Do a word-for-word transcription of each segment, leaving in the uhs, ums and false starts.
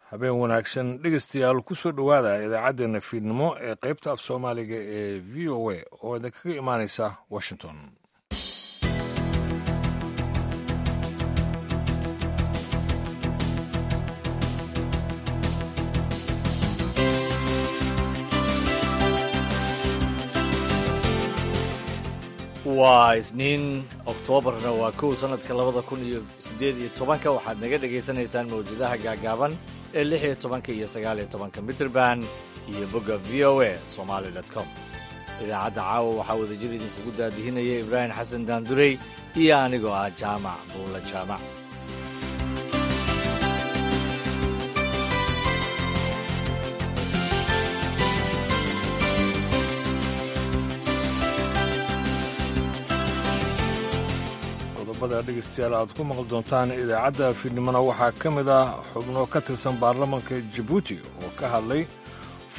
Habeen wanaagsan dhegeystayaal, kusoo dhowaada idaacaddeenna fiidnimo ee qaybta af Soomaaliga ee V O A oo idinkaga imaanaysa Washington. Waa Isniin, Oktoobarna waa kow, sanadka labada kun iyo siddeed iyo tobanka. Waxaad naga dhagaysanaysaan mawjadaha gaagaaban ee lix iyo tobanka iyo sagaal iyo tobanka mitrban iyo bogga V O A Somali com. Idaacadda caawa waxaa wadajir idinkugu daadihinaya Ibraahim Xasan Daandurey iyo anigoo ah Jaamac Buula Jaamac. Qodobada dhegeystayaal aad ku maqli doontaan idaacadda fiidnimona waxaa ka mid ah xubno ka tirsan baarlamanka Jabuuti oo ka hadlay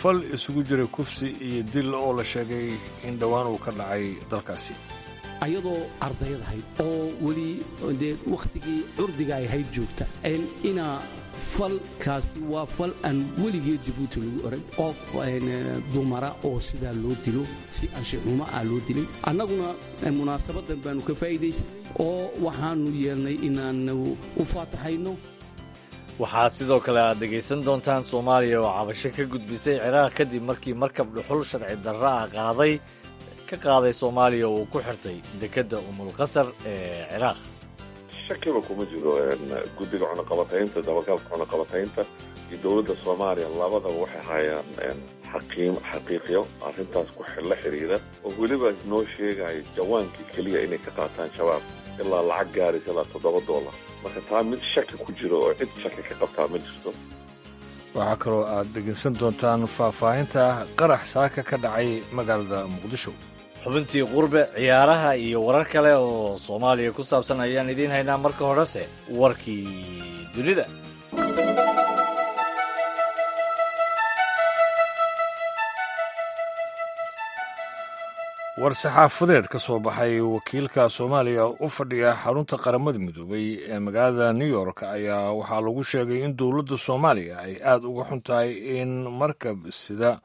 fal isugu jiray kufsi iyo dil oo la sheegay in dhowaan uu ka dhacay dalkaasi. Ayadoo ardayad ahayd oo weli dee wakhtigii curdiga ay ahayd joogta, inaa falkaasi waa fal aan weligeed Jabuuti lagu oran, qof dumara oo sidaa loo dilo, si anshaxumo ah loo dilay. Annaguna munaasabadan baanu ka faa'iidaysanay oo waxaanu yeelnay inaanu u faataxayno. Waxaa sidoo kale aad dhegaysan doontaan Soomaaliya oo cabasho ka gudbisay Ciraaq kadib markii markab dhuxul sharci darro ah qaaday ka qaaday Soomaaliya uu ku xirtay dekedda Umulqasar ee Ciraaq. Shakiba kuma jiro, guddiga cunaqabataynta, dabagalka cunaqabataynta iyo dowladda Soomaaliya labadaba waxay hayaan xaqiim xaqiiqyo arrintaas ku la xiriira, oo weliba noo sheegayo jawaankii keliya inay ka qaataan Shabaab ilaa lacag gaaraysa ilaa toddoba dollar. Marka taa mid shaki ku jiro oo cid shaki ka qabtaa ma jirto. Waxaa kaloo aad dhegaysan doontaan faahfaahinta qarax saaka ka dhacay magaalada Muqdisho. Xubintii qurbe, ciyaaraha iyo warar kale oo Soomaaliya ku saabsan ayaan idiin haynaa. Marka horese warkii dunida. War-saxaafadeed ka soo baxay wakiilka Soomaaliya u fadhiya xarunta Qaramada Midoobay ee magaalada New York ayaa waxaa lagu sheegay in dowladda Soomaaliya ay aada uga xun tahay in markab sida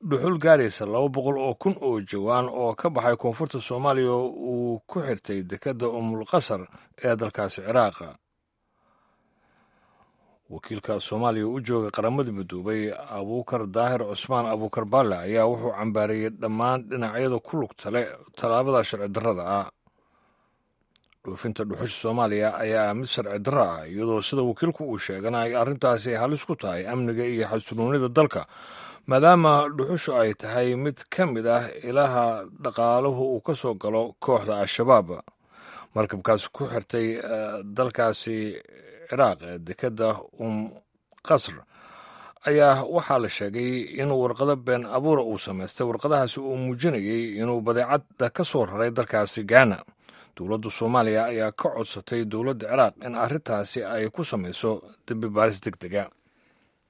dhuxul gaaraysa laba boqol oo kun oo jawaan oo ka baxay koonfurta Soomaaliya uu ku xirtay dekedda Umulqasar ee dalkaasi Ciraaqa. Wakiilka Soomaaliya u jooga Qaramada Midoobay, Abuukar Daahir Cusmaan Abuukar Balle, ayaa wuxuu cambaareeyey dhammaan dhinacyada ku lugta leh tallaabada sharci darrada ah. Dhoofinta dhuxusha Soomaaliya ayaa mid sharci darro ah, iyadoo sida wakiilku uu sheegana ay arrintaasi halis ku tahay amniga iyo xasiloonida dalka, maadaama dhuxushu ay tahay mid ka mid ah ilaha dhaqaaluhu uu ka soo galo kooxda Al-Shabaab. Markabkaasi ku xirtay dalkaasi Ciraaq dekedda Um Qasr ayaa waxaa la sheegay inuu warqado been abuura uu samaystay, warqadahaasi uu muujinayay inuu badeecadda ka soo raray dalkaasi Gaana. Dowladda Soomaaliya ayaa ka codsatay dowladda Ciraaq in arrintaasi ay ku samayso dembi baaris deg dega.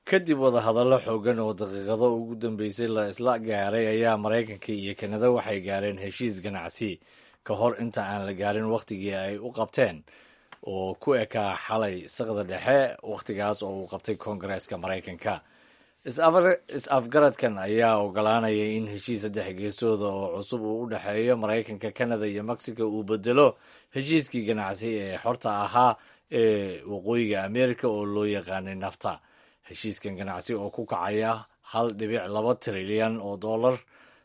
Kadib wadahadallo xoogan oo daqiiqado ugu dambeysay la isla gaaray ayaa Maraykanka iyo Kanada waxay gaareen heshiis ganacsi ka hor inta aan la gaarin wakhtigii ay u qabteen oo ku ekaa xalay saqda dhexe, wakhtigaas oo uu qabtay Koongareeska Maraykanka. Is-afgaradkan ayaa ogolaanaya in heshiis saddex geesooda oo cusub uu u dhexeeyo Maraykanka, Kanada iyo Mexico uu bedelo heshiiskii ganacsi ee xorta ahaa ee Waqooyiga America oo loo yaqaanay NAFTA. Heshiiskan ganacsi oo ku kacaya hal dhibic laba trilyan oo dollar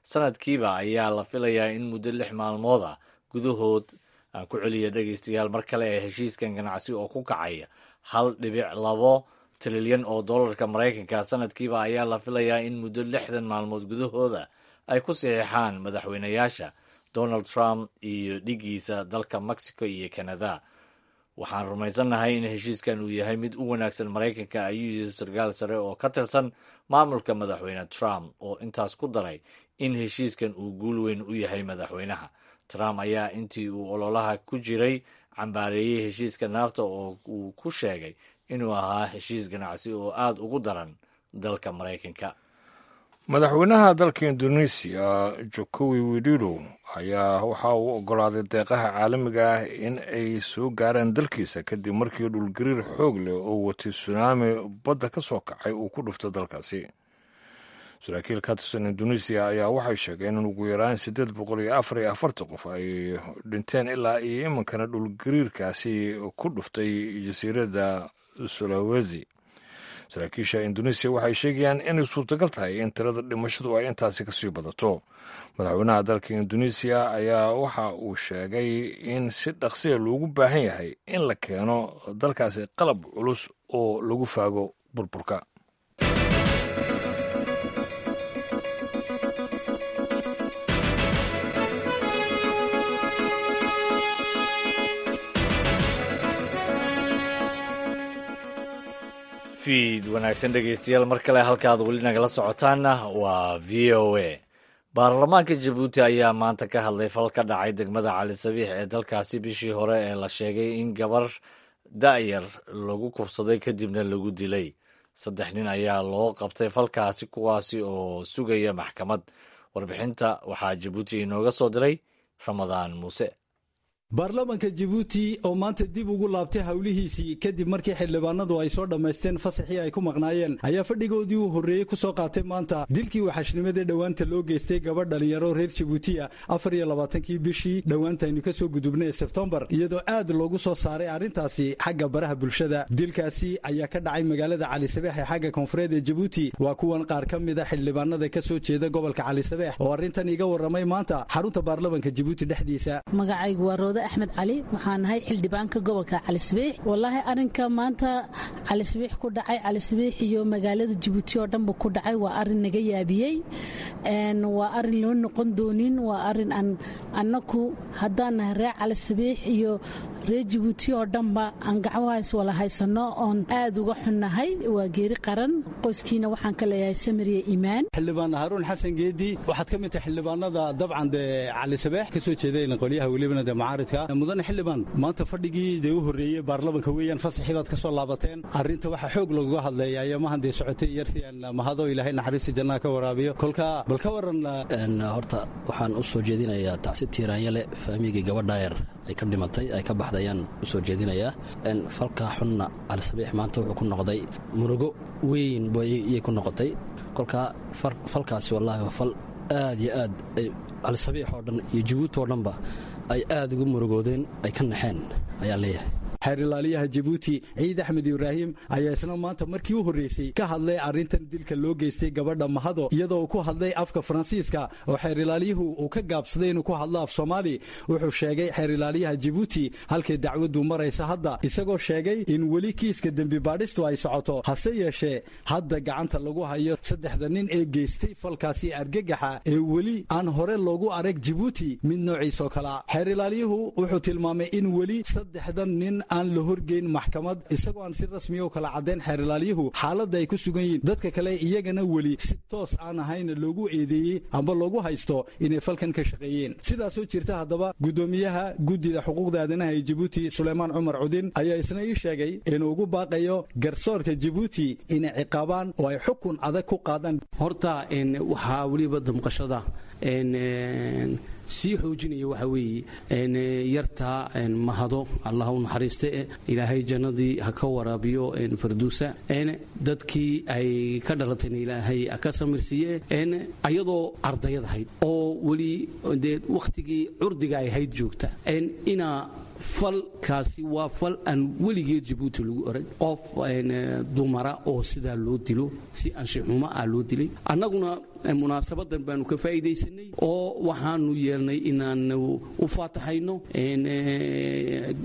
sanadkiiba ayaa la filayaa in muddo lix maalmood ah gudahood aan ku celiya dhegaystayaal mar kale ee heshiiskan ganacsi oo ku kacaya hal dhibic labo trilyan oo dollarka Maraykanka sanadkiiba ayaa la filayaa in muddo lixdan maalmood gudahooda ay ku saxiixaan madaxweynayaasha Donald Trump iyo dhigiisa dalka Mexico iyo Canada. "Waxaan rumaysannahay in heshiiskan uu yahay mid u wanaagsan Maraykanka," ayuu yiri sarkaal sare oo ka tirsan maamulka Madaxweyne Trump, oo intaas ku daray in heshiiskan uu guul weyn u yahay madaxweynaha. Trump ayaa intii uu ololaha ku jiray cambaareeyey heshiiska NAFTA oo uu ku sheegay inuu ahaa heshiis ganacsi oo aada ugu daran dalka Maraykanka. Madaxweynaha dalka Indonesiya Jokowi Widodo ayaa waxa uu ogolaaday deeqaha caalamiga ah in ay soo gaaraan dalkiisa kadib markii dhulgariir xoog leh oo watay sunaami badda ka soo kacay uu ku dhufto dalkaasi. Saraakiil ka tirsan Indonesiya ayaa waxay sheegeen in ugu yaraan siddeed boqol iyo afar iyo afartan qof ay dhinteen ilaa iyo iminkana dhulgariirkaasi ku dhuftay jasiiradda Sulawesi. Saraakiisha Indonesiya waxay sheegayaan inay suurtagal tahay in tirada dhimashadu ay intaasi kasii badato. Madaxweynaha dalka Indonesiya ayaa waxa uu sheegay in si dhaqsiya loogu baahan yahay in la keeno dalkaasi qalab culus oo lagu faago burburka. Fiid wanaagsan dhegeystayaal, mar kale halkaad weli nagala socotaanna waa V O A. Baarlamaanka Jabuuti ayaa maanta ka hadlay fal ka dhacay degmada Cali Sabiix ee dalkaasi bishii hore ee la sheegay in gabar da'yar lagu kufsaday kadibna lagu dilay. Saddex nin ayaa loo qabtay falkaasi, kuwaasi oo sugaya maxkamad. Warbixinta waxaa Jabuuti inooga soo diray Ramadaan Muuse. Baarlamaanka Jabuuti oo maanta dib ugu laabtay howlihiisii kadib markii xildhibaanadu ay soo dhammaysteen fasaxii ay ku maqnaayeen ayaa fadhigoodii uu horreeyey ku soo qaatay maanta dilkii waxashnimada dhowaanta loo geystay gabadh dhalinyaro reer Jabuutiya afar iyo labaatankii bishii dhowaantaynu ka soo gudubnay Sebtembar, iyadoo aad loogu soo saaray arrintaasi xagga baraha bulshada. Dilkaasi ayaa ka dhacay magaalada Cali Sabeex ee xagga koonfureed ee Jabuuti. Waa kuwan qaar ka mid a xildhibaanada ka soo jeeda gobolka Cali Sabeex oo arrintan iga warramay maanta xarunta baarlamaanka Jabuuti dhexdiisa. Magacaygu waa Axmed Cali, waxaan nahay xildhibaanka gobolka Cali Sabiix. Wallaahi arrinka maanta Cali Sabiix ku dhacay, Cali Sabiix iyo magaalada Jabuuti oo dhanba ku dhacay, waa arrin naga yaabiyey, waa arrin loo noqon doonin, waa arrin aan annaku haddaan nahay reer Cali Sabiix iyo reer Jabuuti oo dhanba aan gacmahaas wala haysano oon aad uga xunnahay. Waa geeri qaran, qoyskiina waxaan ka leeyahay samiriya iimaan. Xildhibaan Haruun Xasan Geedi, waxaad ka mid tahay xildhibaanada dabcan dee Cali Sabiix ka soo jeedayna qolyaha welibana dee mucaaridka. Mudane xildhibaan, maanta fadhigii dee u horreeyey baarlamaanka weeyaan, fasaxii baad ka soo laabateen. Arrinta waxaa xoog loogaga hadleeya ayaamahan dee socotay yartii aan mahado ilaahay naxariista jannaha ka waraabiyo. Kolka bal ka waran. Horta waxaan u soo jeedinayaa tacsi tiiraanyale faamigii gabadha yar ay ka dhimatay ay ka baxday ayaan u soo jeedinayaa. Falkaa xunna Cali Sabiix maanta wuxuu ku noqday murugo weyn iyay ku noqotay. Kolkaa falkaasi wallaahi waa fal aad iyo aad Cali Sabiix oo dhan iyo Jabuuti oo dhanba ay aad ugu murugoodeen, ay ka naxeen ayaan leeyahay. Xeer ilaaliyaha Jabuuti Ciid Axmed Ibraahim ayaa isna maanta markii u horreysay ka hadlay arrintan dilka loo geystay gabadha Mahado, iyadoo uu ku hadlay afka Faransiiska oo xeer ilaaliyuhu uu ka gaabsaday inuu ku hadlo af Soomaali. Wuxuu sheegay xeer ilaaliyaha Jabuuti halkay dacwaddu maraysa hadda, isagoo sheegay in weli kiiska dembi baadhistu ay socoto, hase yeeshee hadda gacanta lagu hayo saddexda nin ee geystay falkaasi argagaxa ee weli aan hore loogu arag Jabuuti mid noociisoo kalea. Xeer ilaaliyuhu wuxuu tilmaamay in weli saddexdan nin aan la horgeyn maxkamad, isagoo aan si rasmiya u kala caddayn xeer ilaaliyuhu xaaladda ay ku sugan yihiin dadka kale, iyagana weli si toos aan ahayn loogu eedeeyey amba loogu haysto inay falkan ka shaqeeyeen. Sidaasoo jirta haddaba guddoomiyaha guddida xuquuqda aadanaha ee Jabuuti Suleymaan Cumar Cudin ayaa isna ii sheegay inuu ugu baaqayo garsoorka Jabuuti inay ciqaabaan oo ay xukun adag ku qaadaan. Horta waxaa weliba damqashada sii xoojinaya waxaa weeye yartaa Mahado, Allah u naxariiste, ilaahay jannadii ha ka waraabiyo farduusa, dadkii ay ka dhalatayna ilaahay ha ka samirsiiye, ayadoo ardayad ahayd oo weli dee wakhtigii curdiga ay hayd joogta inaa falkaasi waa fal aan weligeed Jabuuti lagu orag qof dumara oo sidaa loo dilo, si anshaxumo ah loo dilay. Annaguna munaasabadan baanu ka faa'iidaysanay oo waxaanu yeelnay inaanu u faataxayno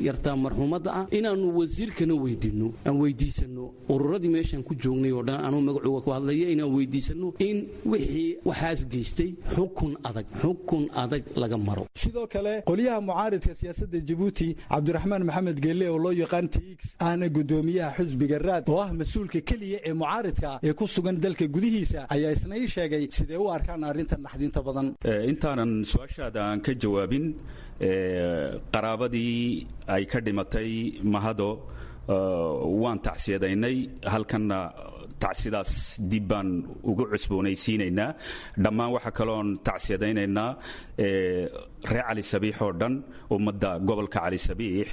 yartaa marxuumadda ah, inaanu wasiirkana weydiinno, aan weydiisanno ururadii meeshaan ku joognay oo dhan anuu magacooga ku hadlaya, inaan weydiisanno in wixii waxaas geystay xukun adag, xukun adag laga maro. Sidoo kale qolyaha mucaaridka siyaasadda Jabuuti Cabdiraxmaan Maxamed Geelle oo loo yaqaan T X ahna guddoomiyaha xusbiga Raad oo ah mas-uulka keliya ee mucaaridka ee ku sugan dalka gudihiisa ayaa isna ii sheegay sidee u arkaan arrintan naxdinta badan. Intaanan su-aashaada aan ka jawaabin, qaraabadii ay ka dhimatay Mahado waan tacsiyadaynay, halkanna Tacsidaas dib baan ugu cusboonaysiinaynaa. Dhammaan waxaa kaloon tacsiyadaynaynaa reer Cali Sabiix oo dhan, ummadda gobolka Cali Sabiix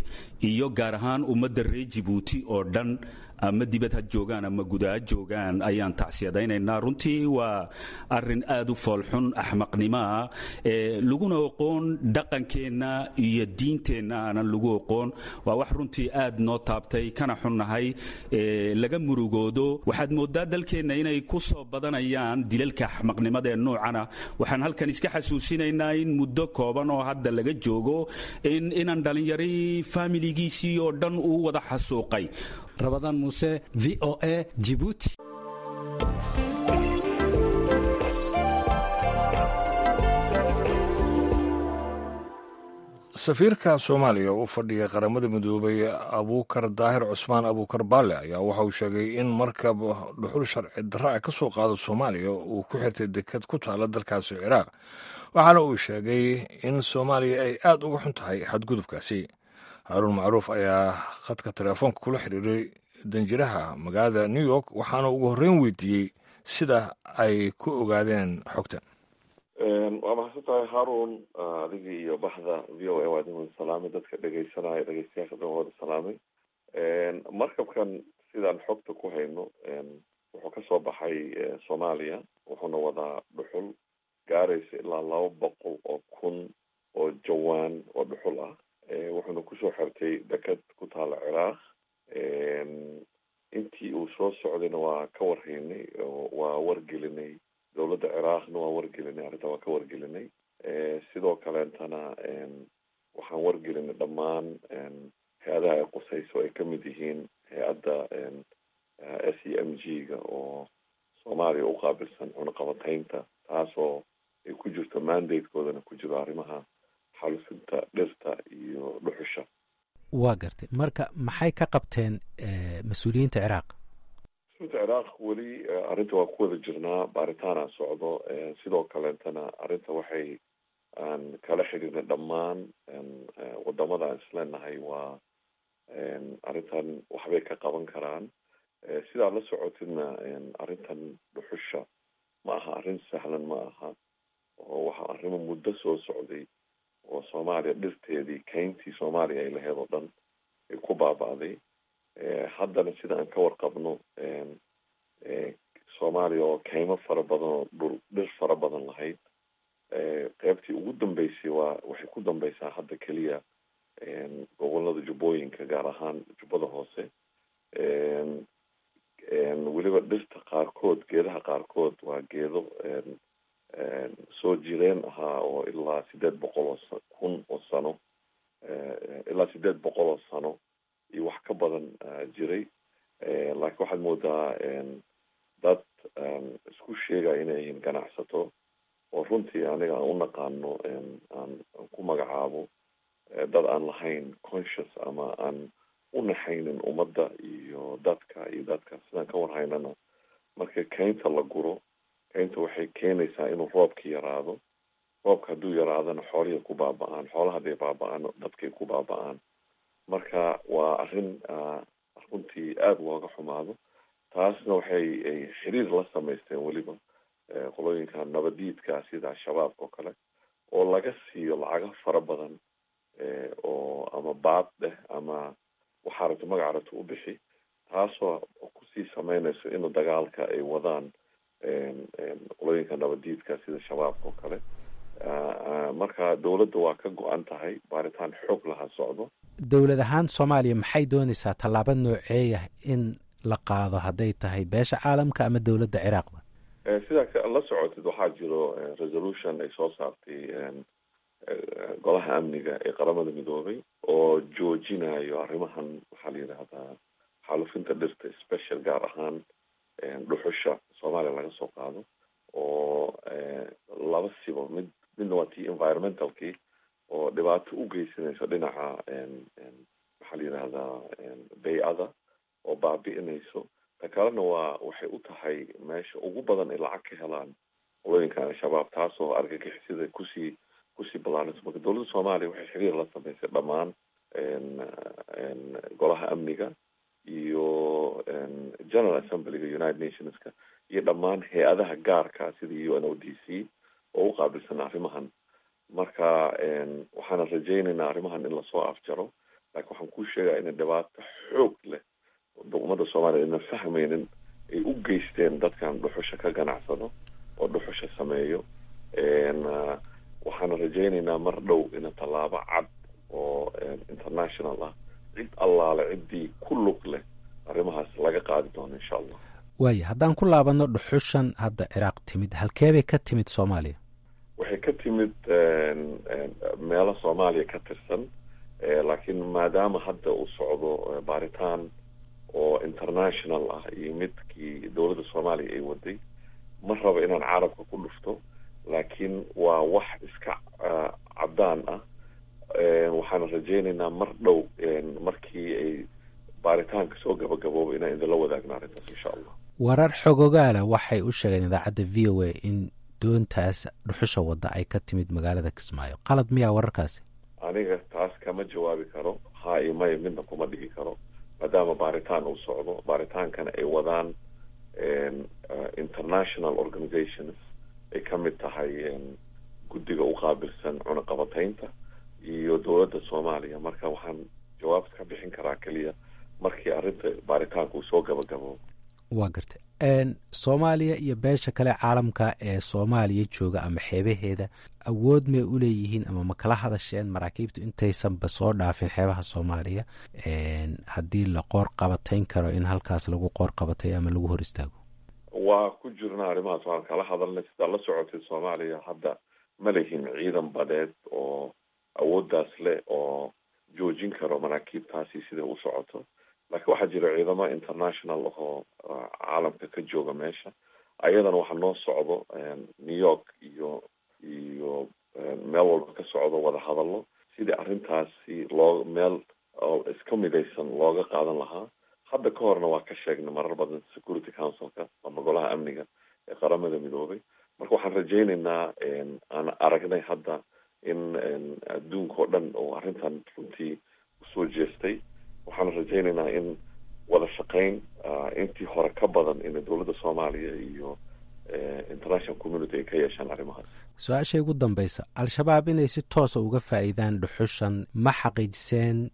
iyo gaar ahaan ummadda reer Jibuuti oo dhan, ama dibad ha joogaan ama guda ha joogaan, ayaan tacsiyadaynaynaa. Runtii waa arrin aad u foolxun, axmaqnimoa, laguna oqoon dhaqankeenna iyo diinteenna aanan lagu oqoon. Waa wax runtii aad noo taabtay, kana xunnahay, laga murugoodo. Waxaad moodaa dalkeenna inay ku soo badanayaan dilalka axmaqnimada ee noocana. Waxaan halkan iska xasuusinaynaa in muddo kooban oo hadda laga joogo in inaan dhallinyari faamiligiisii oo dhan uu wada xasuuqay. Rabadaan Muuse, V O A, Jibuuti. Safiirka Soomaaliya u fadhiya Qaramada Midoobay, Abuukar Daahir Cusmaan Abuukar Baale, ayaa waxa uu sheegay in markab dhuxul sharci darra ah ka soo qaado Soomaaliya uu ku xirtay dekad ku taala dalkaasi Ciraaq. Waxaana uu sheegay in Soomaaliya ay aad uga xun tahay xadgudubkaasi. Haaruun Macruuf ayaa khadka teleefoonka kula xiriiray danjiraha magaalada New York, waxaana ugu horreyn weydiiyey sida ay ku ogaadeen xogta. Waa mahadsan tahay, Haarun. Adigii iyo baxda V O A waa idin wada salaamay, dadka dhegeysanaya, dhegeystayaasha dhan waa wada salaamay. Markabkan, sidaan xogta ku hayno, wuxuu kasoo baxay Soomaaliya, wuxuuna wadaa dhuxul gaaraysa ilaa laba boqol oo kun oo jawaan oo dhuxul ah, wuxuuna kusoo xirtay deked ku taala Ciraaq. Intii uu soo socdayna waa ka warhaynay, waa wargelinay dowladda Ciraaqna, waa wargelinay arrinta, waa ka wargelinay. Sidoo kaleentana waxaan wargelinay dhammaan hay-adaha ay qusayso, ay kamid yihiin hay-adda S E M G ga oo Soomaaliya u qaabilsan cunaqabataynta, taasoo ay ku jirto mandate-koodana ku jiro arrimaha xaalufinta dhirta iyo dhuxusha. Waa gartay. Marka maxay ka qabteen mas-uuliyiinta Ciraaq? Mas-uuliyiinta Ciraaq weli arrinta waa ku wada jirnaa, baaritaana socdo. Sidoo kaleentana arrinta waxay aan kala xiriirnay dhammaan wadamada aan isleenahay waa arrintan waxbay ka qaban karaan. Sidaad la socotidna, arrintan dhuxusha ma aha arrin sahlan, ma aha, oo waxa arrimo muddo soo socday oo Soomaaliya dhirteedii, keyntii Soomaaliya ay lahayd oo dhan ay ku baaba'day. Haddana sida aan ka warqabno, Soomaaliya oo keymo fara badan oo dhul dhir fara badan lahayd, qeybtii ugu dambeysay waa waxay ku dambeysaa hadda keliya gobolada Jubbooyinka, gaar ahaan Jubbada Hoose. Weliba dhirta qaarkood, geedaha qaarkood waa geedo soo jireen ahaa oo ilaa sideed boqol oo kun oo sano, ilaa sideed boqol oo sano iyo wax ka badan jiray. Laakiin waxaad moodaa dad isku sheegaya inay yihiin ganacsato, oo runtii aniga aan u naqaano, aan ku magacaabo dad aan lahayn conscious ama aan u naxaynin ummadda iyo dadka iyo dadka. Sidaan ka warhaynana, marka keynta la guro, keynta waxay keenaysaa inuu roobka yaraado. Roobka hadduu yaraadana, xoolihii ku baaba-aan, xoolaha hadday baaba-aan, dadkay ku baaba-aan. Marka waa arrin runtii aada looga xumaado. Taasna waxay ay xiriir la samaysteen weliba qolooyinka nabadiidka sida Al-Shabaabka oo kale, oo laga siiyo lacago fara badan, oo ama baad dheh ama waxaa rabto magaca rabto u bixi, taasoo kusii sameynayso inuu dagaalka ay wadaan qolooyinka nabadiidka sida Shabaabka oo kale. Marka dowladda waa ka go-an tahay, baaritaan xoog laha socdo. Dowlad ahaan Soomaaliya maxay doonaysaa? Tallaabo nooceeyah in la qaado, hadday tahay beesha caalamka ama dowladda Ciraaqba? Sidaa la socotid, waxaa jiro resolution ay soo saartay Golaha Amniga ee Qaramada Midoobay oo joojinayo arrimahan, waxaa la yidhaahdaa xaalufinta dhirta, special gaar ahaan dhuxusha Soomaaliya laga soo qaado, oo laba sibo mid. Midna waa tii environmentalkii oo dhibaato u geysanayso dhinaca, maxaa la yidhahdaa, bay-ada oo baabi'inayso. Ta kalena waa waxay u tahay meesha ugu badan ay lacag ka helaan qolooyinka Al-Shabaab, taasoo argagixisada kusii kusii ballaarinayso. Marka dowladda Soomaaliya waxay xiriir la samaysay dhammaan Golaha Amniga iyo General Assemblyga United Nationska iyo dhammaan hay-adaha gaarka sida U N O D C oo u qaabilsan arrimahan. Marka waxaana rajaynaynaa arrimahan in lasoo afjaro, laakiin waxaan kuu sheegaa inay dhibaato xoog leh ummadda soomaaliya ayna fahmaynin ay u geysteen dadkan dhuxusha ka ganacsado oo dhuxusha sameeyo. Waxaana rajaynaynaa mar dhow ina tallaabo cad oo international ah cid allaale ciddii ku lug leh arrimahaas laga qaadi doono insha Allah. Waaya, haddaan ku laabanno dhuxushan hadda Ciraaq timid, halkeebay ka timid Soomaaliya? Waxay ka timid meelo Soomaaliya ka tirsan, laakiin maadaama hadda uu socdo baaritaan oo international ah iyo midkii dowladda Soomaaliya ay waday, ma rabo inaan carabka ku dhufto, laakiin waa wax iska caddaan ah. Waxaana rajaynaynaa mar dhow markii ay baaritaanka soo gabagabooba inaan idinla wadaagno arrintaas insha Allah. Warar xogogaala waxay u sheegeen idaacadda V O A in doontaas dhuxusha wadda ay ka timid magaalada Kismaayo. Qalad miyaa wararkaasi? Aniga taas kama jawaabi karo, haa iyo maya midna kuma dhigi karo, maadaama baaritaan uu socdo, baaritaankana ay wadaan international organizations ay ka mid tahay guddiga u qaabilsan cunaqabataynta iyo dowladda Soomaaliya. Marka waxaan jawaab ka bixin karaa keliya markii arrinta baaritaanka uu soo gabagaboobo. Waa gartay. Soomaaliya iyo beesha kale caalamka ee Soomaaliya jooga ama xeebaheeda awood may u leeyihiin ama ma kala hadasheen maraakiibtu intaysanba soo dhaafin xeebaha Soomaaliya haddii la qoor qabatayn karo in halkaas lagu qoor qabatay ama lagu hor istaago? Waa ku jirnaa arrimahaas, waan kala hadalnay. Sidaa la socotay Soomaaliya hadda ma lihin ciidan badeed oo awooddaas leh oo joojin karo maraakiibtaasi sida u socoto, laakiin waxaa jira ciidamo international oo caalamka ka jooga meesha. Ayadana waxaa noo socdo New York iyo iyo meel walba ka socdo wada hadallo sidii arrintaasi loo meel iska midaysan looga qaadan lahaa. Hadda ka horna waa ka sheegnay marar badan Security Councilka ama golaha amniga ee Qaramada Midoobay. Marka waxaan rajaynaynaa, aan aragnay hadda in adduunka oo dhan oo arrintan runtii usoo jeestay, waxaan rajaynaynaa in wada shaqayn intii hore ka badan in dowladda Soomaaliya iyo international community ay ka yeeshaan arrimahaas. Su-aasha ugu dambeysa, Al-Shabaab inay si toosa uga faa'iidaan dhuxushan ma xaqiijiseen,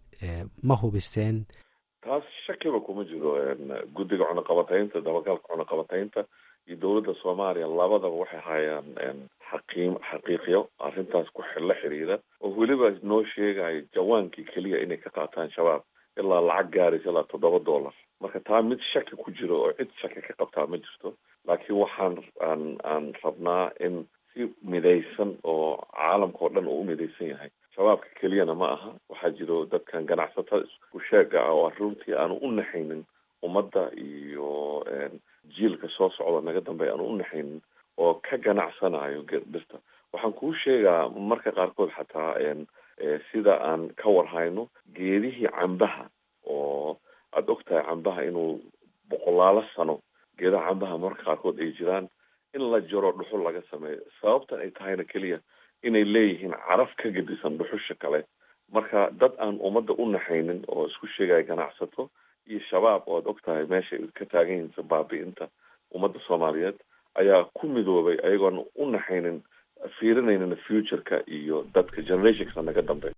ma hubiseen? Taas shakiba kuma jiro. Guddiga cunaqabataynta, dabagalka cunaqabataynta iyo dowladda Soomaaliya labadaba waxay hayaan xaqiim xaqiiqyo arrintaas ku la xiriira, oo weliba noo sheegayo jawaankii keliya inay ka qaataan Shabaab ilaa lacag gaaraysa ilaa toddoba dollar. Marka taa mid shaki ku jiro oo cid shaki ka qabtaa ma jirto, laakiin waxaan aan aan rabnaa in si midaysan oo caalamka oo dhan uu u midaysan yahay. Shabaabka keliyana ma aha, waxaa jiro dadkan ganacsatada isku sheega ah oo runtii aanu u naxaynin ummadda iyo jiilka soo socda naga dambeeya aanu u naxaynin oo ka ganacsanayo dhirta. Waxaan kuu sheegaa marka qaarkood xataa sida aan ka warhayno geedihii cambaha, oo aada og tahay cambaha inuu boqolaalo sano geedaha cambaha marka qaarkood ay jiraan, in la jaro dhuxul laga sameeyo, sababtan ay tahayna keliya inay leeyihiin caraf ka gedisan dhuxusha kale. Marka dad aan ummadda u naxaynin oo isku sheegaya ganacsato iyo Shabaab oo aad og tahay meesha ay ka taagan yihiin baabi'inta ummadda Soomaaliyeed ayaa ku midoobay ayagoon u naxaynin, fiirinaynin futureka iyo dadka generationka naga dambeeya.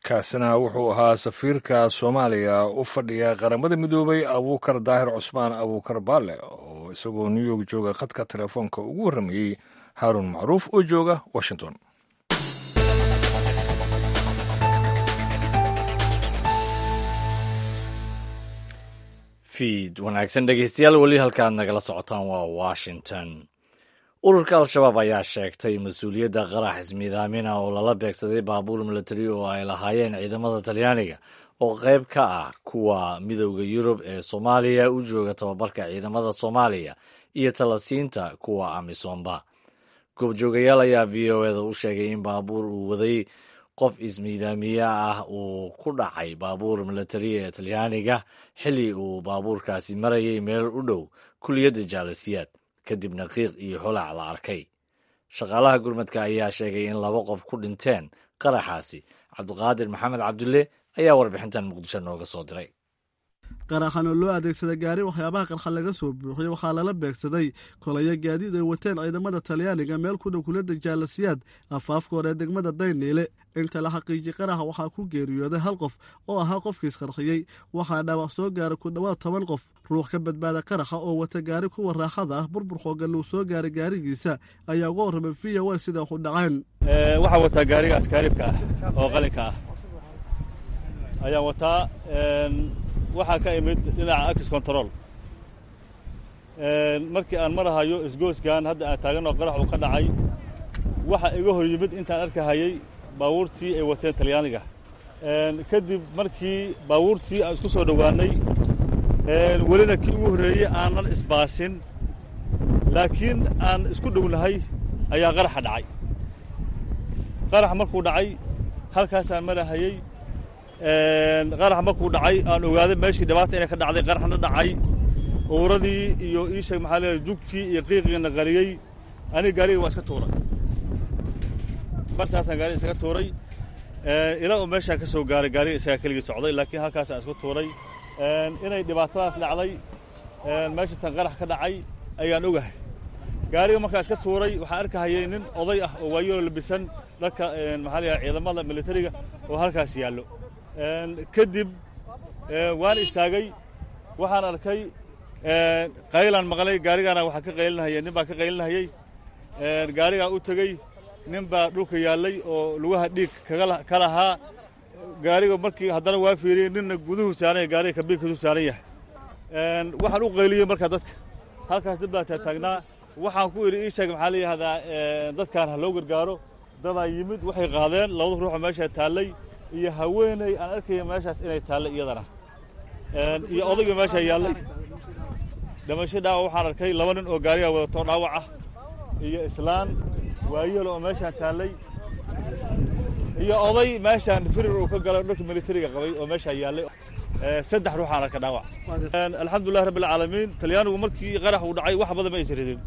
Kaasina wuxuu ahaa safiirka Soomaaliya u fadhiya Qaramada Midoobay, Abuukar Daahir Cusmaan Abuukar Baale, oo isagoo New York jooga khadka telefoonka ugu warramayey Haaruun Macruuf oo jooga Washington. Fiid wanaagsan dhegeystayaal, weli halkaad nagala socotaan waa Washington. Ururka Al-Shabaab ayaa sheegtay mas-uuliyadda qarax ismiidaamina oo lala beegsaday baabuur milatari oo ay lahaayeen ciidamada Talyaaniga oo qayb ka ah kuwa Midowda Yurub ee Soomaaliya u jooga tababarka ciidamada Soomaaliya iyo talasiinta kuwa Amisomba. Goobjoogayaal ayaa V O eda u sheegay in baabuur uu waday qof ismiidaamiye ah uu ku dhacay baabuur milatari ee Talyaaniga xilli uu baabuurkaasi marayay meel u dhow kuliyadda Jaalasiyaad, kadibna qiiq iyo holac la arkay. Shaqaalaha gurmadka ayaa sheegay in laba qof ku dhinteen qaraxaasi. Cabdiqaadir Maxamed Cabdulle ayaa warbixintan Muqdisho nooga soo diray. Qaraxan oo loo adeegsaday gaari waxyaabaha qarxa laga soo buuxiyey waxaa lala beegsaday kolayo gaadiid ay wateen ciidamada Talyaaniga meel ku dhow kuliyadda Jaalasiyaad afaafka hore ee degmada Dayniile. Inta la xaqiijiyey qaraxa waxaa ku geeriyooday hal qof oo ahaa qofkii isqarxiyey, waxaa dhaawac soo gaaray ku dhowaad toban qof. Ruux ka badbaada qaraxa oo wata gaari kuwa raaxada ah burbur xooggan uu soo gaaray gaarigiisa ayaa uga warramay V O A sida wax u dhaceen. Waxaa wataa gaariga askaaribka ah oo qalinka ah ayaan wataa, waxaa ka imid dhinaca axis control. Markii aan marahayo isgooskan hadda aan taaganoo qarax uu ka dhacay, waxa iga hor yimid intaan arkahayey baabuurtii ay wateen Talyaaniga. Kadib markii baabuurtii aan isku soo dhowaannay, welina kii ugu horreeyey aanan isbaasin, laakiin aan isku dhownahay ayaa qaraxa dhacay. Qarax markuu dhacay halkaasaan marahayey. Qarax markuu dhacay aan ogaaday meeshii dhibaata inay ka dhacday, qaraxna dhacay, uuradii iyo iisheeg maxaa leeyahay jugtii iyo qiiqiina qariyey. Aniga gaariga waa iska tuuray, bartaasaan gaariga isaga tuuray ilaa uu meeshaan ka soo gaaray. Gaariga isagaa keligii socday, laakiin halkaasaan isku tuuray. Inay dhibaatadaas dhacday meesha tan qarax ka dhacay ayaan ogahay. Gaariga markaa iska tuuray waxaan arkahayay nin oday ah oo waayaro labisan dharka maxaa leeyahay ciidamada militariga oo halkaas yaallo. Kadib waan istaagay, waxaan arkay qaylaan maqlay, gaarigaana waxaa ka qaylinahayay nin baa ka qaylinahayey. Gaarigaa u tegey, nin baa dhulka yaallay oo lugaha dhiig ka lahaa. Gaariga markii haddana waa fiiriyey, ninna guduhu saaran yahay, gaariga kabiinkiisu saaran yahay. Waxaan u qayliyey markaa dadka halkaas dad baa taataagnaa. Waxaan ku idhi ii sheeg maxaa la yihahdaa dadkaan ha loo gargaaro. Dadaa yimid, waxay qaadeen labada ruuxoo meeshaa taallay iyo haweeney aan arkaya meeshaas inay taallay iyadana iyo odayga meeshaa yaallay. Dhimasho dhaawac waxaan arkay laba nin oo gaarigaa wadato dhaawac ah iyo islaan waayeel oo meeshaan taallay iyo oday meeshaan firir uu ka galay dharka militariga qabay oo meeshaa yaallay. Saddex ruuxaan arka dhaawac. Alxamdulillahi rabbi alcaalamiin. Talyaanigu markii qarax uu dhacay wax badan ma aysan ridin.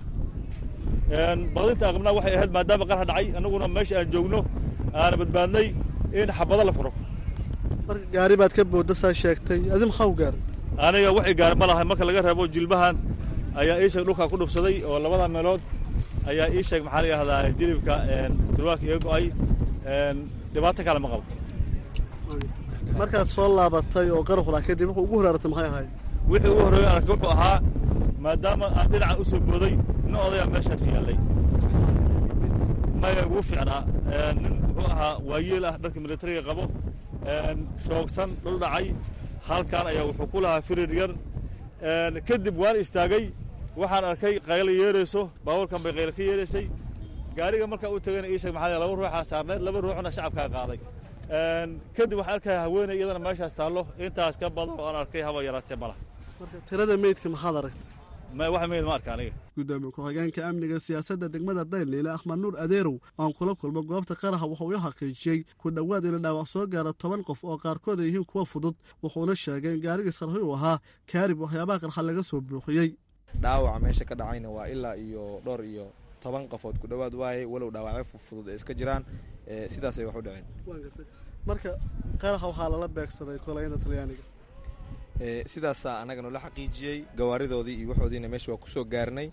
Baqdinta aan qabnaa waxay ahayd maadaama qarax dhacay annaguna meesha aan joogno aana badbaadnay in xabado la furo. Marka gaari baad ka boodda saa sheegtay, adi maxaa u gaaray? Aniga wax i gaaray ma laha, marka laga reebo jilbahan ayaa ii sheeg dhulkaa ku dhufsaday oo labada meelood ayaa ii sheeg maxaa la yihahdaa jilibka surwaalka iga go'ay. Dhibaato kale ma qabo. Markaad soo laabatay oo qaraxu dhaca kadib wuxuu ugu horaaratay maxay ahayd? Wixii ugu horreeyay arkay wuxuu ahaa maadaama aan dhinaca u soo booday nin odayaa meeshaas yaallay. Maya ugu fiicnaa nin wuxuu ahaa waayeel ah dharka militariga qabo, shoogsan, dhul dhacay. Halkan ayaa wuxuu ku lahaa firir yar. Kadib waan istaagay, waxaan arkay qaylo yeerayso, baabuurkan bay qaylo ka yeeraysay. Gaariga markaa u tagayna ii sheeg maxaa laba ruuxaa saarneed, laba ruuxna shacabkaa qaaday. Kadib waxaan arkaya haweeney iyadana meeshaas taallo. Intaas ka badan oo aan arkay haba yaraatee malaha. Marka tirada meydka maxaad aragtay? Wax meyd ma arka aniga. Gudoomiye ku-xigeenka amniga siyaasadda degmada Dayniile Axmed Nuur Adeerow aan kula kulmo goobta qaraxa wuxuu i xaqiijiyey ku dhowaad ina dhaawac soo gaara toban qof oo qaarkood ay yihiin kuwa fudud. Wuxuuna sheegay in gaarigiis qarxi uu ahaa kaarib waxyaabaha qarxa laga soo buuxiyey. Dhaawaca meesha ka dhacayna waa ilaa iyo dhowr iyo toban qofood ku dhowaad waaye, walow dhaawacyo fudud ay iska jiraan. Sidaasay wax u dhaceen. Marka qaraxa waxaa lala beegsaday kolayada Talyaaniga. Sidaasaa annaga noola xaqiijiyey, gawaaridoodii iyo waxoodiina meesha waa ku soo gaarnay,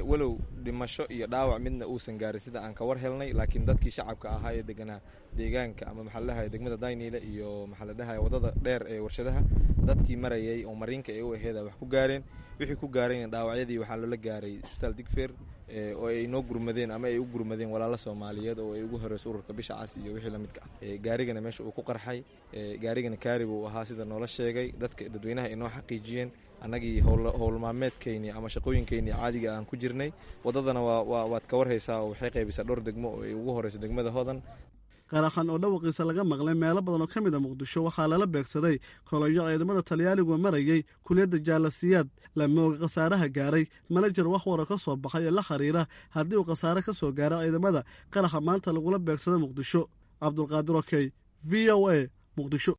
walow dhimasho iyo dhaawac midna uusan gaarin sida aan ka war helnay. Laakiin dadkii shacabka ahaa ee deganaa deegaanka ama maxaa la dhahaye degmada Dayniile iyo maxaa la dhahaye waddada dheer ee warshadaha, dadkii marayay oo mariinka ee u aheeda wax ku gaareen. Wixii ku gaarayna dhaawacyadii waxaa loola gaaray isbitaal Digfeer oo ay noo gurmadeen ama ay u gurmadeen walaalo Soomaaliyeed oo ay ugu horeyso ururka Bisha Cas iyo wixii la midka ah. Gaarigana meesha uu ku qarxay, gaarigana kaarib uu ahaa sida noola sheegay, dadka dadweynaha ay noo xaqiijiyeen. Annagii howlmaalmeedkeynii ama shaqooyinkeynii caadiga aan ku jirnay waddadana waa waad ka warhaysaa oo waxay qaybisaa dhowr degmo oo ay ugu horeyso degmada Hodan. Qaraxan oo dhawaqiisa laga maqlay meelo badan oo ka mid a Muqdisho waxaa lala beegsaday kolayo ciidamada Talyaanigu marayay kuliyadda Jaalasiyaad. Lama oga khasaaraha gaaray, mana jir wax wara ka soo baxay ee la xiriira haddii uu khasaare ka soo gaaro ciidamada qaraxa maanta lagula beegsaday Muqdisho. Cabdulqaadir Okey, V O A, Muqdisho.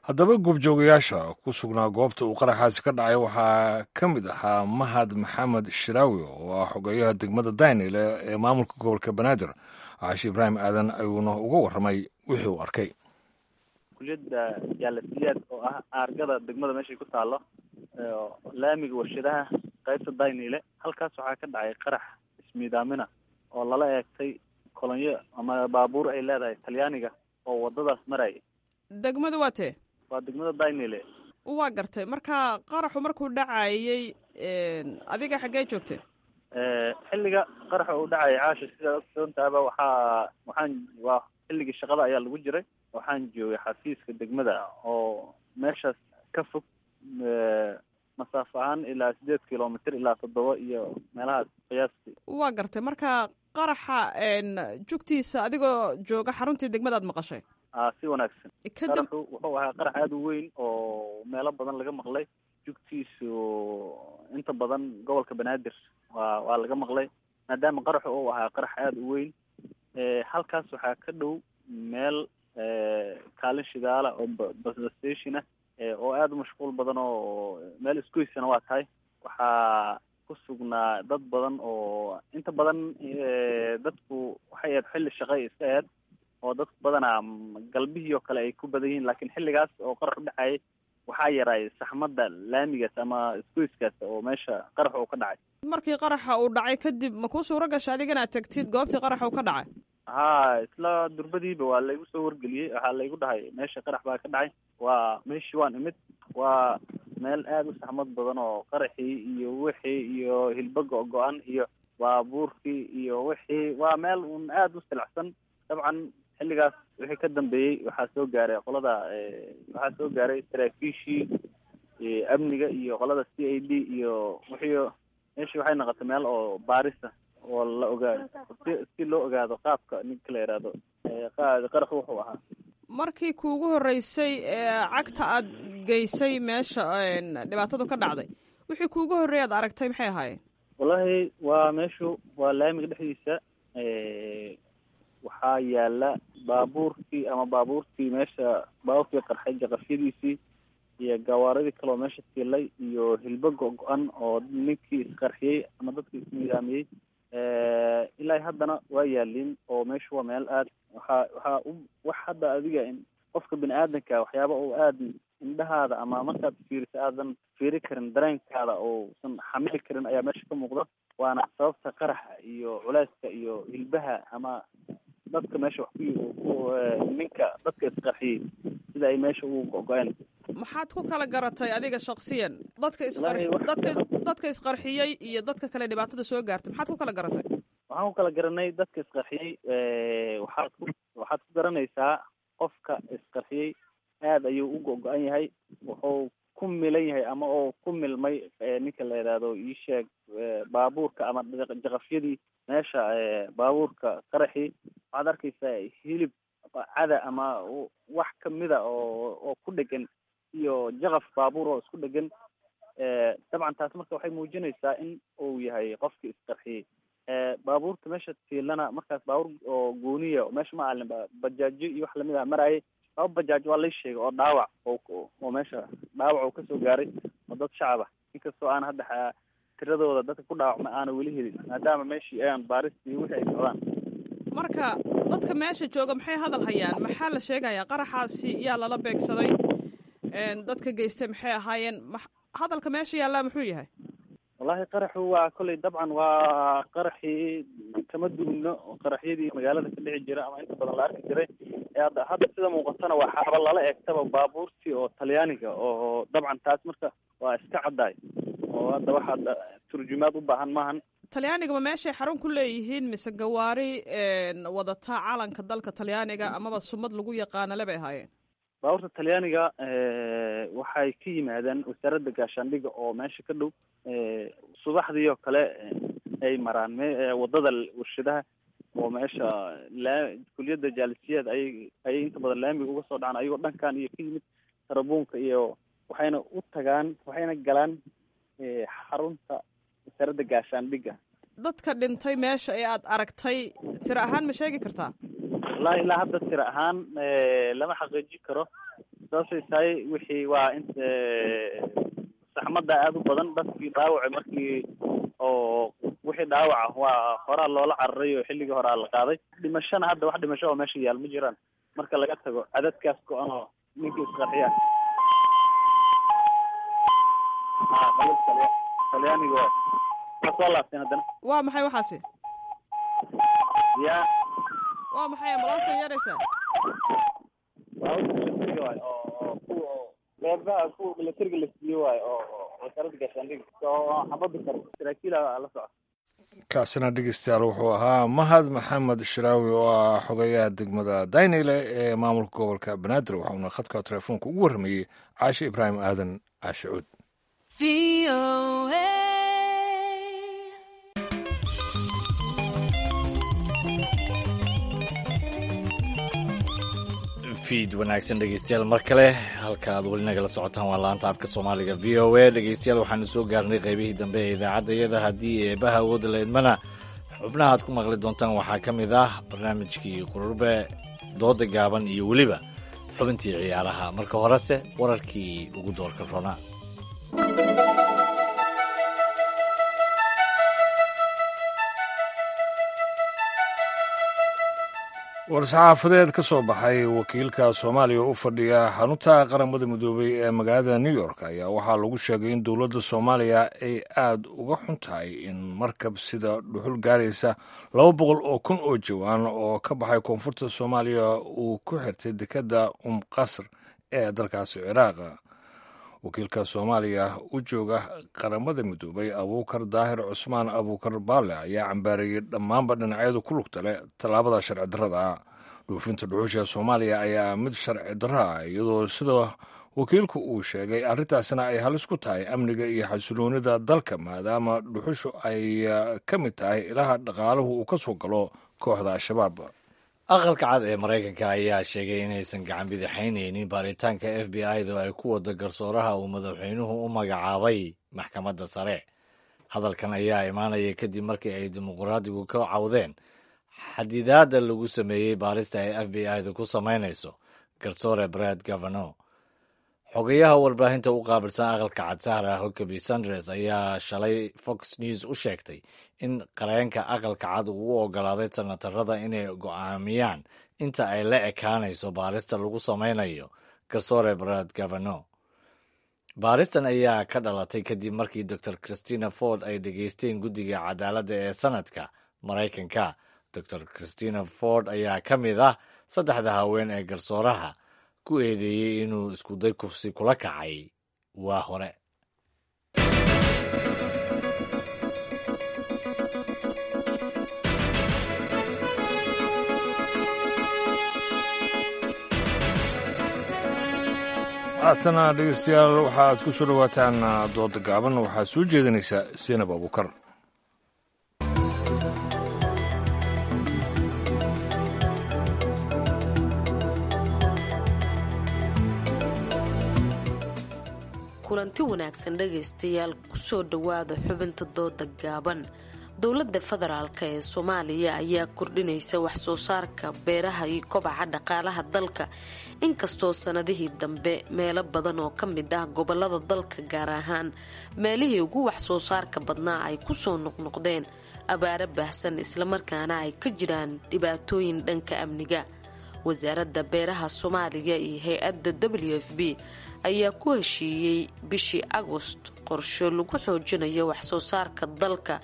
Haddaba goobjoogayaasha ku sugnaa goobta uu qaraxaasi ka dhacay waxaa ka mid ahaa Mahad Maxamed Shiraawi oo ah xogeyaha degmada Daynile ee maamulka gobolka Banaadir. Caashi Ibraahim Aadan ayuuna uga warramay wixii uu arkay. Kuliyadda Jaalasiyaad oo ah aargada degmada meeshay ku taalo, laamiga warshadaha qaybta Dayniile, halkaas waxaa ka dhacay qarax ismiidaamina oo lala eegtay kolonyo ama baabuur ay leedahay Talyaaniga oo wadadaas maraya. Degmada waa tee? Waa degmada Dayniile. Waa gartay. Marka qaraxu markuu dhacayay adiga xaggee joogtay? Xilliga qaraxa uu dhacayay, Caasha, sidaa ogsoontaaba, waxaa waxaan waa xilligii shaqada ayaa lagu jiray. Waxaan joogay xafiiska degmada oo meeshaas ka fog masaafo ahaan ilaa sideed kilomitr ilaa toddoba iyo meelahaas qiyaastii. Waa gartay. Marka qaraxa jugtiisa adigoo jooga xaruntii degmadaad maqashay? A, si wanaagsan. Qaraxu wuxuu ahaa qarax aada u weyn oo meelo badan laga maqlay jugtiisu. Inta badan gobolka Banaadir waa waa laga maqlay, maadaama qaraxu uu ahaa qarax aada u weyn. Halkaas waxaa ka dhow meel kaalin shidaala oo bus station ah oo aada u mashquul badan, oo meel isgoysana waa tahay. Waxaa ku sugnaa dad badan oo inta badan dadku waxay ahayd xilli shaqay iska ahayd oo dadku badanaa galbihii oo kale ay ku badan yihiin, laakiin xilligaas oo qarax u dhacayay waxaa yaraay saxmadda laamigaas ama isgoyskaas oo meesha qarax uu ka dhacay. Markii qaraxa uu dhacay kadib, ma kuu suuro gasha adiga inaad tagtid goobtii qaraxa uu ka dhacay? Ha, isla durbadiiba waa laygu soo wargeliyey. Waxaa laygu dhahay meesha qarax baa ka dhacay. Waa meeshii waan imid. Waa meel aada u saxmad badan oo qaraxii iyo wixii iyo hilbo go-go-an iyo baabuurkii iyo wixii, waa meel uun aada u silacsan. Dabcan xilligaas wixii ka dambeeyey waxaa soo gaaray qolada, waxaa soo gaaray saraakiishii amniga iyo qolada C I D iyo wixii. Meeshii waxay noqotay meel oo baarisa oo la ogaado si si loo ogaado qaabka ninka la yidhaahdo qaraxu wuxuu ahaa. Markii kuugu horreysay cagta aad geysay meesha dhibaatadu ka dhacday, wixii kuugu horreeyay aad aragtay maxay ahaayeen? Wallahi waa meeshu waa laamiga dhexdiisa. Waxaa yaala baabuurkii ama baabuurtii meesha, baabuurkii qarxay jaqafyadiisii iyo gawaaridii kaleoo meesha tiilay iyo hilbo go-go-an oo ninkii isqarxiyey ama dadkii ismiidaamiyey ilaa haddana waa yaaliin. Oo meeshu waa meel aad waxaa waxaa u wax hadda adiga qofka bini aadanka waxyaaba uu aada indhahaada ama markaad fiiriso aadan fiiri karin, dareenkaada uusan xamili karin ayaa meesha ka muuqda. Waana sababta qaraxa iyo culeyska iyo hilbaha ama dadka meesha wax ku ninka dadka isqarxiyey sida ay meesha ugu go-go-een. Maxaad ku kala garatay adiga shaksiyan dadka isqar dadka dadka isqarxiyey iyo dadka kale dhibaatada soo gaartay? Maxaad ku kala garatay? Waxaan ku kala garanay dadka isqarxiyey, waxaad ku waxaad ku garanaysaa qofka isqarxiyey aada ayuu u go-go-an yahay. Wuxuu ku milan yahay ama oo ku milmay ninka la yidhaahdo iisheeg baabuurka ama jaqafyadii meesha baabuurka qaraxii. Waxaad arkaysaa hilib cada ama wax kamida oo oo ku dhegan iyo jaqaf baabuur oo isku dhegan. Dabcan taas marka waxay muujinaysaa in uu yahay qofkii isqarxiyey. Baabuurta meesha tiilana markaas baabuur oo gooniya meesha ma alin, bajaajo iyo wax lamid ah maraayay. Laba bajaaj waa lay sheegay oo dhaawac oo meesha dhaawac oo kasoo gaaray oo dad shacab ah, inkastoo aan hadda tiradooda dadka ku dhaawacma aana weli helin, maadaama meeshii ayaan baaristii wixii ay socdaan. Marka dadka meesha jooga maxay hadal hayaan? Maxaa la sheegayaa? Qaraxaasi yaa lala beegsaday? Dadka geystay maxay ahaayeen? Hadalka meesha yaallaa muxuu yahay? Wallahi qaraxu waa kolley dabcan waa qaraxii kama duwno qaraxyadii magaalada ka dhici jira ama inta badan la arki jiray. Hadda hadda sida muuqatana waa xaaba lala eegtaba baabuurtii oo Talyaaniga oo dabcan taas marka waa iska caddaay oo hadda waxaad turjumaad u baahan maahan. Talyaaniga ma meeshay xarun ku leeyihiin mise gawaari wadata calanka dalka Talyaaniga amaba sumad lagu yaqaana le bay ahaayeen? Baabuurta Talyaaniga waxay ka yimaadeen wasaaradda gaashaandhiga oo meesha ka dhow. Subaxdii oo kale ay maraan wadada warshadaha oo meesha laa kuliyadda Jaalisiyaad ayay ayay inta badan laamiga uga soo dhacaan ayagoo dhankan iyo ka yimid tarabuunka iyo waxayna u tagaan, waxayna galaan xarunta wasaaradda gaashaandhiga. Dadka dhintay meesha ee aad aragtay tiro ahaan ma sheegi kartaa? Wallahi ilaa hadda tiro ahaan lama xaqiijin karo, sababtay tahay wixii waa in saxmadda aada u badan. Dadkii dhaawaca markii oo wixii dhaawaca waa horaa loola cararay oo xilligii horaa la qaaday. Dhimashana hadda wax dhimasho oo meesha yaal ma jiraan marka laga tago cadadkaas go-an oo Ninkii isqarxiya Talyaaniga waay. Waa soo laabteen haddana. Waa maxay waxaasi? Ya, waa maxay ambalaastan yeeraysaa? Baabuurka militariga waay, oo oo kuwa oo qeybaha kuwa militariga la siiyo waay, oo oo wasaaradda gaashaandhigga oo xabadda karo saraakiila la socda. Kaasina dhegeystayaal wuxuu ahaa Mahad Maxamed Shiraawi oo ah xogayaha degmada Daynile ee maamulka gobolka Banaadir, waxauna khadka telefoonka ugu warramayey Caashe Ibraahim Aadan Caashe Cuud. Fiid wanaagsan dhegeystayaal mar kale, halka aad weli nagala socotaan waa laanta afka Soomaaliga V O A. Dhegeystayaal, waxaanu soo gaarnay qaybihii dambe ee idaacadda iyada. Haddii eebaha awoodda la idmana, xubnaha aad ku maqli doontaan waxaa ka mid ah barnaamijkii qururbe, dooda gaaban iyo weliba xubintii ciyaaraha. Marka horese wararkii ugu doorka ronaa. War-saxaafadeed ka soo baxay wakiilka Soomaaliya u fadhiya xarunta Qaramada Midoobay ee magaalada New York ayaa waxaa lagu sheegay in dowladda Soomaaliya ay aada uga xun tahay in markab sida dhuxul gaaraysa laba boqol oo kun oo jawaan oo ka baxay koonfurta Soomaaliya uu ku xirtay dekedda Um Qasr ee dalkaasi Ciraaq. Wakiilka Soomaaliya u jooga Qaramada Midoobay, Abuukar Daahir Cusmaan Abuukar Baale, ayaa cambaareeyey dhammaanba dhinacyadu ku lugta leh tallaabada sharci darrada ah. Dhuufinta dhuxusha Soomaaliya ayaa mid sharci darro ah, iyadoo sida wakiilku uu sheegay arrintaasina ay halis ku tahay amniga iyo xasiloonida dalka, maadaama dhuxushu ay ka mid tahay ilaha dhaqaaluhu uu ka soo galo kooxda Al-Shabaab. Aqalka Cad ee Maraykanka ayaa sheegay inaysan gacan bidixaynaynin baaritaanka F B I-da oo ay ku wado garsooraha uu madaxweynuhu u magacaabay maxkamadda sare. Hadalkan ayaa imaanaya kadib markii ay dimuqraadigu ka cawdeen xadidaadda lagu sameeyey baarista ay F B I-da ku samaynayso garsoore Brad Gavano. Xogayaha warbaahinta u qaabilsan Aqalka Cad, Sahra Huckabee Sanders, ayaa shalay Fox News u sheegtay in qareenka Aqalka Cad uu u ogolaaday senatarada inay go'aamiyaan inta ay la ekaanayso baarista lagu sameynayo garsoore Brad Gavano. Baaristan ayaa ka dhalatay kadib markii Doctor Christina Ford ay dhegeysteen guddiga cadaaladda ee sanadka Maraykanka. Doctor Christina Ford ayaa ka mid ah saddexda haween ee garsooraha ku eedeeyey inuu iskuday kufsi kula kacay waa hore. Haatana dhegeystayaal, waxaaad ku soo dhowaataan dooda gaaban. Waxaad soo jeedinaysaa Seenab Abuukar. Kulanti wanaagsan dhegaystayaal, kusoo dhowaada xubinta dooda gaaban. Dowladda federaalk ee Soomaaliya ayaa kordhinaysa wax soo saarka beeraha iyo kobaca dhaqaalaha dalka, inkastoo sanadihii dambe meelo badan oo ka mid ah gobolada dalka, gaar ahaan meelihii ugu wax soo saarka badnaa, ay kusoo noqnoqdeen abaaro baahsan, islamarkaana ay ka jiraan dhibaatooyin dhanka amniga. Wasaaradda beeraha Soomaaliya iyo hay-adda W F B ayaa ku heshiiyey bishii Agost qorsho lagu xoojinayo waxsoo saarka dalka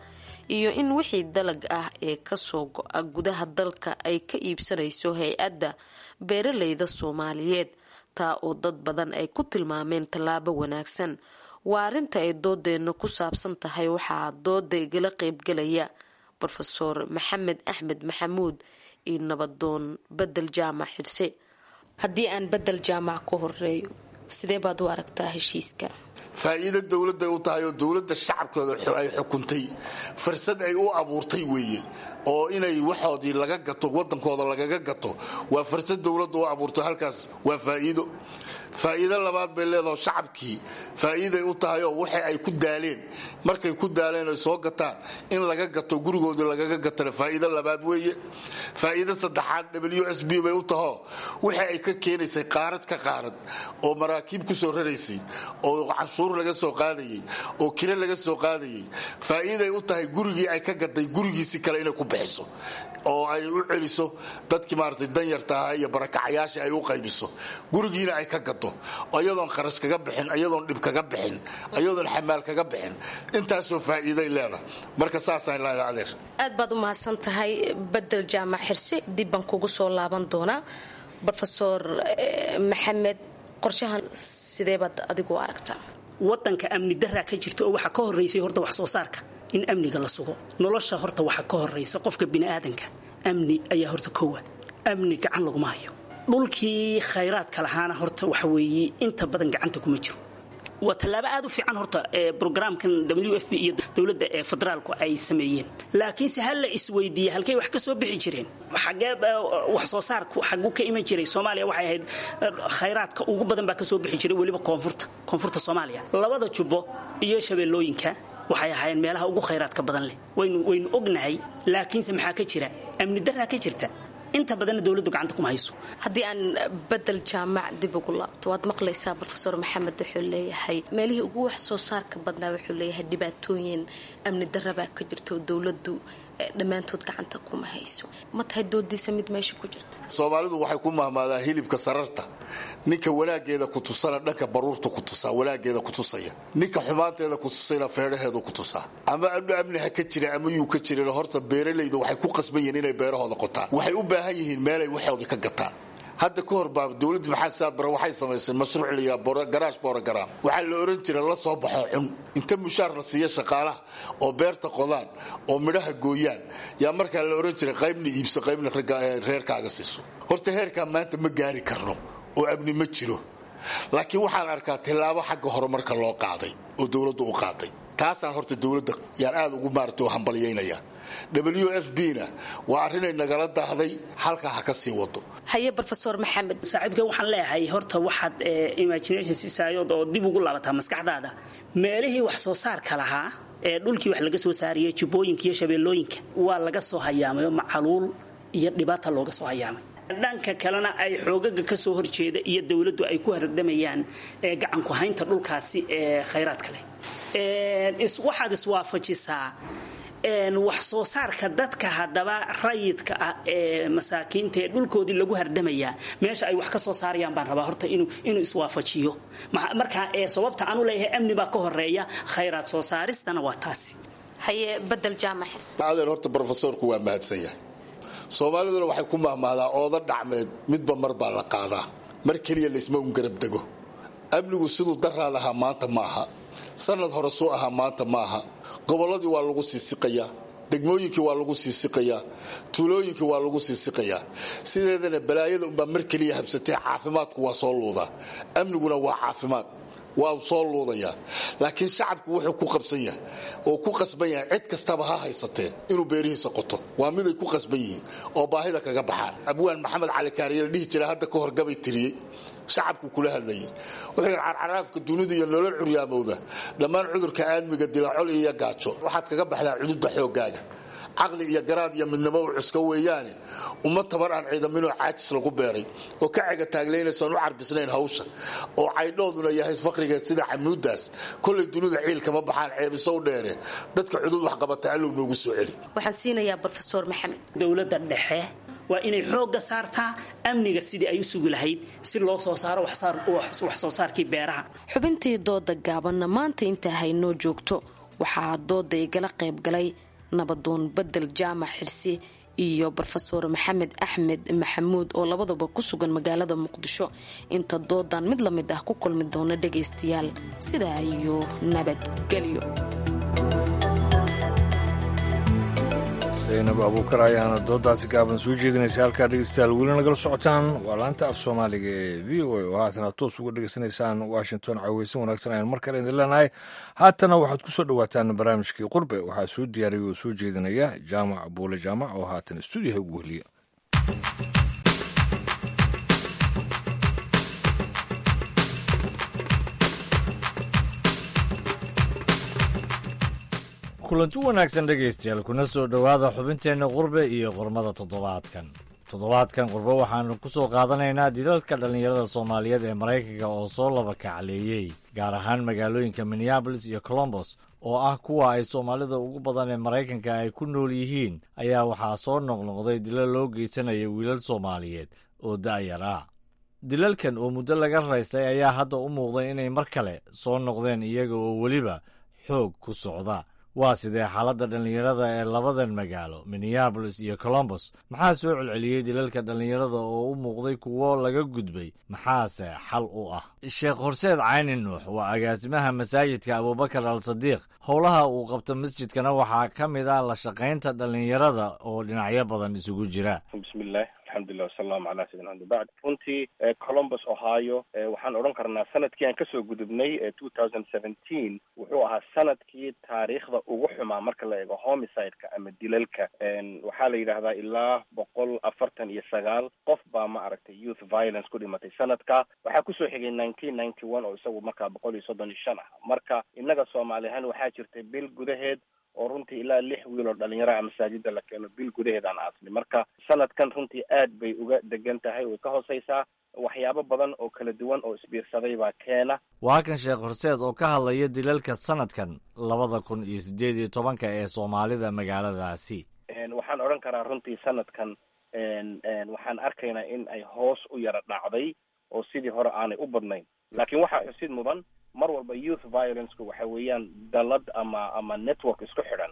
iyo in wixii dalag ah ee kasoo go-a gudaha dalka ay ka iibsanayso hay-adda beeraleyda Soomaaliyeed, taa oo dad badan ay ku tilmaameen tallaabo wanaagsan. Waa arrinta ay doodeenna ku saabsan tahay. Waxaa dooda igala qeybgalaya Brofeor Maxamed Axmed Maxamuud iyo nabadoon Bedel Jaamac Xirse. Haddii aan Bedel Jaamac ku horeeyo, sidee baad u aragtaa heshiiska? Faa'iido dowladday u tahay oo dowladda shacabkooda ay xukuntay fursad ay u abuurtay weeye, oo inay waxoodii laga gato waddankooda lagaga gato waa fursad dowladda u abuurtay. Halkaas waa faa'iido. Faa'iido labaad bay leedaho, shacabkii faa'iiday u tahay oo waxa ay ku daaleen markay ku daaleen ay soo gataan in laga gato gurigoodii lagaga gatana faa'iido labaad weeye. Faa'iido saddexaad W S B bay u tahoo, waxa ay ka keenaysay qaarad ka qaarad oo maraakiib ku soo raraysay oo canshuur laga soo qaadayay oo kire laga soo qaadayay, faa'iiday u tahay gurigii ay ka gatay gurigiisi kale inay ku bixiso. oo ay u celiso dadkii maaragtay danyarta ahaa iyo barakacayaasha ay u qaybiso, gurigiina ay ka gado iyadoon kharash kaga bixin, iyadoon dhib kaga bixin, iyadoon xamaal kaga bixin. Intaasoo faa'iiday leedahay. Marka saasaan leedahay adeer. Aad baad u mahadsan tahay Bedel Jaamac Xirsi, dib baan kugu soo laaban doonaa. Brofesor Maxamed, qorshahan sidee baad adigu aragtaa? Wadanka amni daraa ka jirta oo waxaa ka horeysay horta wax soo saarka in amniga la sugo. Nolosha horta waxaa ka horeysa qofka biniaadanka amni ayaa horta kowa. Amni gacan laguma hayo. Dhulkii khayraadka lahaana horta waxa weeye inta badan gacanta kuma jiro. Waa tallaabo aad u fiican horta ee brograamkan W F P iyo dowladda ee federaalku ay sameeyeen, laakiinse hal la isweydiiyey halkay wax ka soo bixi jireen, xagee wax soo saarku xaguu ka iman jiray. Soomaaliya waxay ahayd khayraadka ugu badan baa ka soo bixi jiray weliba koonfurta koonfurta Soomaaliya, labada jubbo iyo shabeellooyinka waxay ahaayeen meelaha ugu khayraadka badan leh, waynu waynu ognahay. Laakiinse maxaa ka jira? Amni daraa ka jirta, inta badanna dowladdu gacanta kuma hayso. Haddii aan Bedel Jaamac dib ugu laabto, waad maqlaysaa Brofesor Maxamed wuxuu leeyahay meelihii ugu wax soo saarka badnaa wuxuu leeyahay dhibaatooyin amni darabaa ka jirta oo dowladdu dhammaantood gacanta kuma hayso. Ma tahay doodiisa mid meesha ku jirta? Soomaalidu waxay ku mahmaadaa hilibka sararta ninka wanaageeda ku tusana dhanka baruurta ku tusaa, wanaageeda ku tusaya, ninka xumaanteeda ku tusayna feedhaheedu ku tusaa. Ama amni ha ka jira ama yuu ka jirin, horta beeralaydu waxay ku qasban yihiin inay beerahooda qotaan. Waxay u baahan yihiin meelay waxooda ka gataan. Hadda ka hor baa dowladda Maxamed Saad Bare waxay samaysay mashruuc la yidhaha garaash borogaraam. Waxaa la oran jiray la soo baxo cun, inta mushaar la siiya shaqaalaha oo beerta qodaan oo midhaha gooyaan, yaa markaa la oran jiray qaybna iibso qaybna reerkaaga siiso. Horta heerkaa maanta ma gaari karno oo amni ma jiro, laakiin waxaan arkaa tillaabo xagga horumarka loo qaaday oo dowladdu u qaaday. Taasaan horta dowladda yaan aad ugu maarata u hambalyaynaya. W F B na waa arrinay nagala daahday, halkaa ha ka sii wado. Haye Brofesor Maxamed. Saaxiibkay, waxaan leeyahay horta waxaad imagination sisaayood oo dib ugu laabataa maskaxdaada meelihii wax soo saarka lahaa ee dhulkii wax laga soo saariyay, jubbooyinka iyo shabeellooyinka waa laga soo hayaamay oo macaluul iyo dhibaata looga soo hayaamay. Dhanka kalena ay xoogaga ka soo horjeeda iyo dowladdu ay ku hardamayaan ee gacanku haynta dhulkaasi ee khayraadka leh. Waxaad iswaafajisaa wax soo saarka dadka haddaba rayidka ah ee masaakiinta ee dhulkoodii lagu hardamayaa meesha ay wax ka soo saarayaan baan rabaa horta inuu inuu iswaafajiyo. Marka ee sababta aanu leeyahay amni baa ka horeeya khayraad soo saaristana waa taasi. Haye Bedel Jaamac Xirsi. Adeer, horta brofesorku waa mahadsan yahay. Soomaaliduna waxay ku mahmaadaa ooda dhacmeed midba mar baa la qaadaa, mar keliya laysma un garab dego. Amnigu siduu daraa lahaa maanta maaha, sanad hore suu ahaa maanta maaha. Gobolladii waa lagu sii siqayaa, degmooyinkii waa lagu sii siqayaa, tuulooyinkii waa lagu sii siqayaa. Sideedana balaayada unbaa mar keliya habsatee caafimaadku waa soo luudaa, amniguna waa caafimaad, waa soo luudayaa. Laakiin shacabku wuxuu ku qabsan yahay oo ku qasban yahay cid kastaba ha haysatee inuu beerihiisa qoto, waa miday ku qasban yihiin oo baahida kaga baxaan. Abwaan Maxamed Cali Kaariye la dhihi jira hadda ka hor gabay tiriyey, shacabku kula hadlayay. Wuxuu yidhi carcaraafka dunida iyo nolol curyaamowda, dhammaan cudurka aadmiga dilacol iyo gaajo, waxaad kaga baxdaa cududa xooggaaga, caqli iyo garaad iyo midnimo u cuska weeyaane. Uma tabar aan ciidaminoo caajis lagu beeray oo ka cega taaglaynaysoon u carbisnayn hawsha oo caydhooduna yahay faqrigeed sida camuudaas, kollay dunida ciilkama baxaan ceebisow dheere, dadka cudud waxqabata allow noogu soo celi. Waxaan siinayaa Brofesor Maxamed. Dowladda dhexe waa inay xoogga saartaa amniga sidii ay u sugi lahayd si loo soo saaro wax soo saarkii beeraha. Xubintii dooda gaabanna maanta intaa haynoo joogto. Waxaa dooda igala qayb galay nabadoon Bedel Jaamac Xirsi iyo Brofesor Maxamed Axmed Maxamuud oo labadaba ku sugan magaalada Muqdisho. Inta doodan mid lamid ah ku kulmi doona dhagaystayaal, sidaa iyo nabadgelyo. Saynab Abuukar ayaana doodaasi gaaban soo jeedinaysa. Halkaa dhegeystayaal weli nagala socotaan waa laanta af soomaaliga ee V O A oo haatana toos uga dhegeysanaysaan Washington. Caweysan wanaagsan ayaan mar kale idin leenahay. Haatana waxaad ku soo dhowaataan barnaamijkii Qurbe. Waxaa soo diyaariyay oo soo jeedinaya Jaamac Buule Jaamac oo haatan stuudiyaha ugu wehliya. Kulanti wanaagsan dhegaystayaal, kuna soo dhowaada xubinteenna qurbe iyo qormada toddobaadkan. Toddobaadkan qurbe waxaannu ku soo qaadanaynaa dilalka dhallinyarada Soomaaliyeed ee Maraykanka oo soo laba kacleeyey, gaar ahaan magaalooyinka Minneabolis iyo Colombos oo ah kuwa ay soomaalida ugu badan ee Maraykanka ay ku nool yihiin, ayaa waxaa soo noqnoqday dilal loo geysanaya wiilal Soomaaliyeed oo da'yar ah. Dilalkan oo muddo laga raystay ayaa hadda u muuqday inay mar kale soo noqdeen, iyaga oo weliba xoog ku socda. Waa sidee xaaladda dhallinyarada ee labadan magaalo, Minneapolis iyo Columbus? Maxaa soo celceliyey dilalka dhallinyarada oo u muuqday kuwo laga gudbay? Maxaase xal u ah? Sheekh Horseed Cayni Nuux waa agaasimaha masaajidka Abuubakar Al Sadiiq. Howlaha uu qabto masjidkana waxaa ka mid ah la shaqaynta dhallinyarada oo dhinacyo badan isugu jira. Bismillaah, alxamdulilah, wasalaamu calaa sayidina Maxamed, bacd. Runtii Columbus, Ohio, waxaan odhan karnaa sanadkii aan kasoo gudubnay, two thousand seventeen, wuxuu ahaa sanadkii taariikhda ugu xumaa marka la eego homicide-ka ama dilalka. Waxaa la yidhaahdaa ilaa boqol afartan iyo sagaal qof baa, ma aragtay, youth violence ku dhimatay sanadka. Waxaa kusoo xigay nineteen ninety one oo isagu markaa boqol iyo soddon iyo shan ah. Marka innaga Soomaali ahaan waxaa jirtay bil gudaheed oo runtii ilaa lix wiil oo dhalinyaro ah masaajida la keeno, bil gudaheed aan aasnay. Marka sanadkan runtii aad bay uga degan tahay, way ka hooseysaa. Waxyaabo badan oo kala duwan oo isbiirsaday baa keena. Waa kan Sheekh Horseed oo ka hadlaya dilalka sanadkan labada kun iyo siddeed iyo tobanka ee Soomaalida magaaladaasi. Waxaan odhan karaa runtii sanadkan waxaan arkaynaa in ay hoos u yara dhacday oo sidii hore aanay u badnayn, laakiin waxaa xusid mudan mar walba youth violenceku waxa weeyaan dalad ama ama network isku xidhan,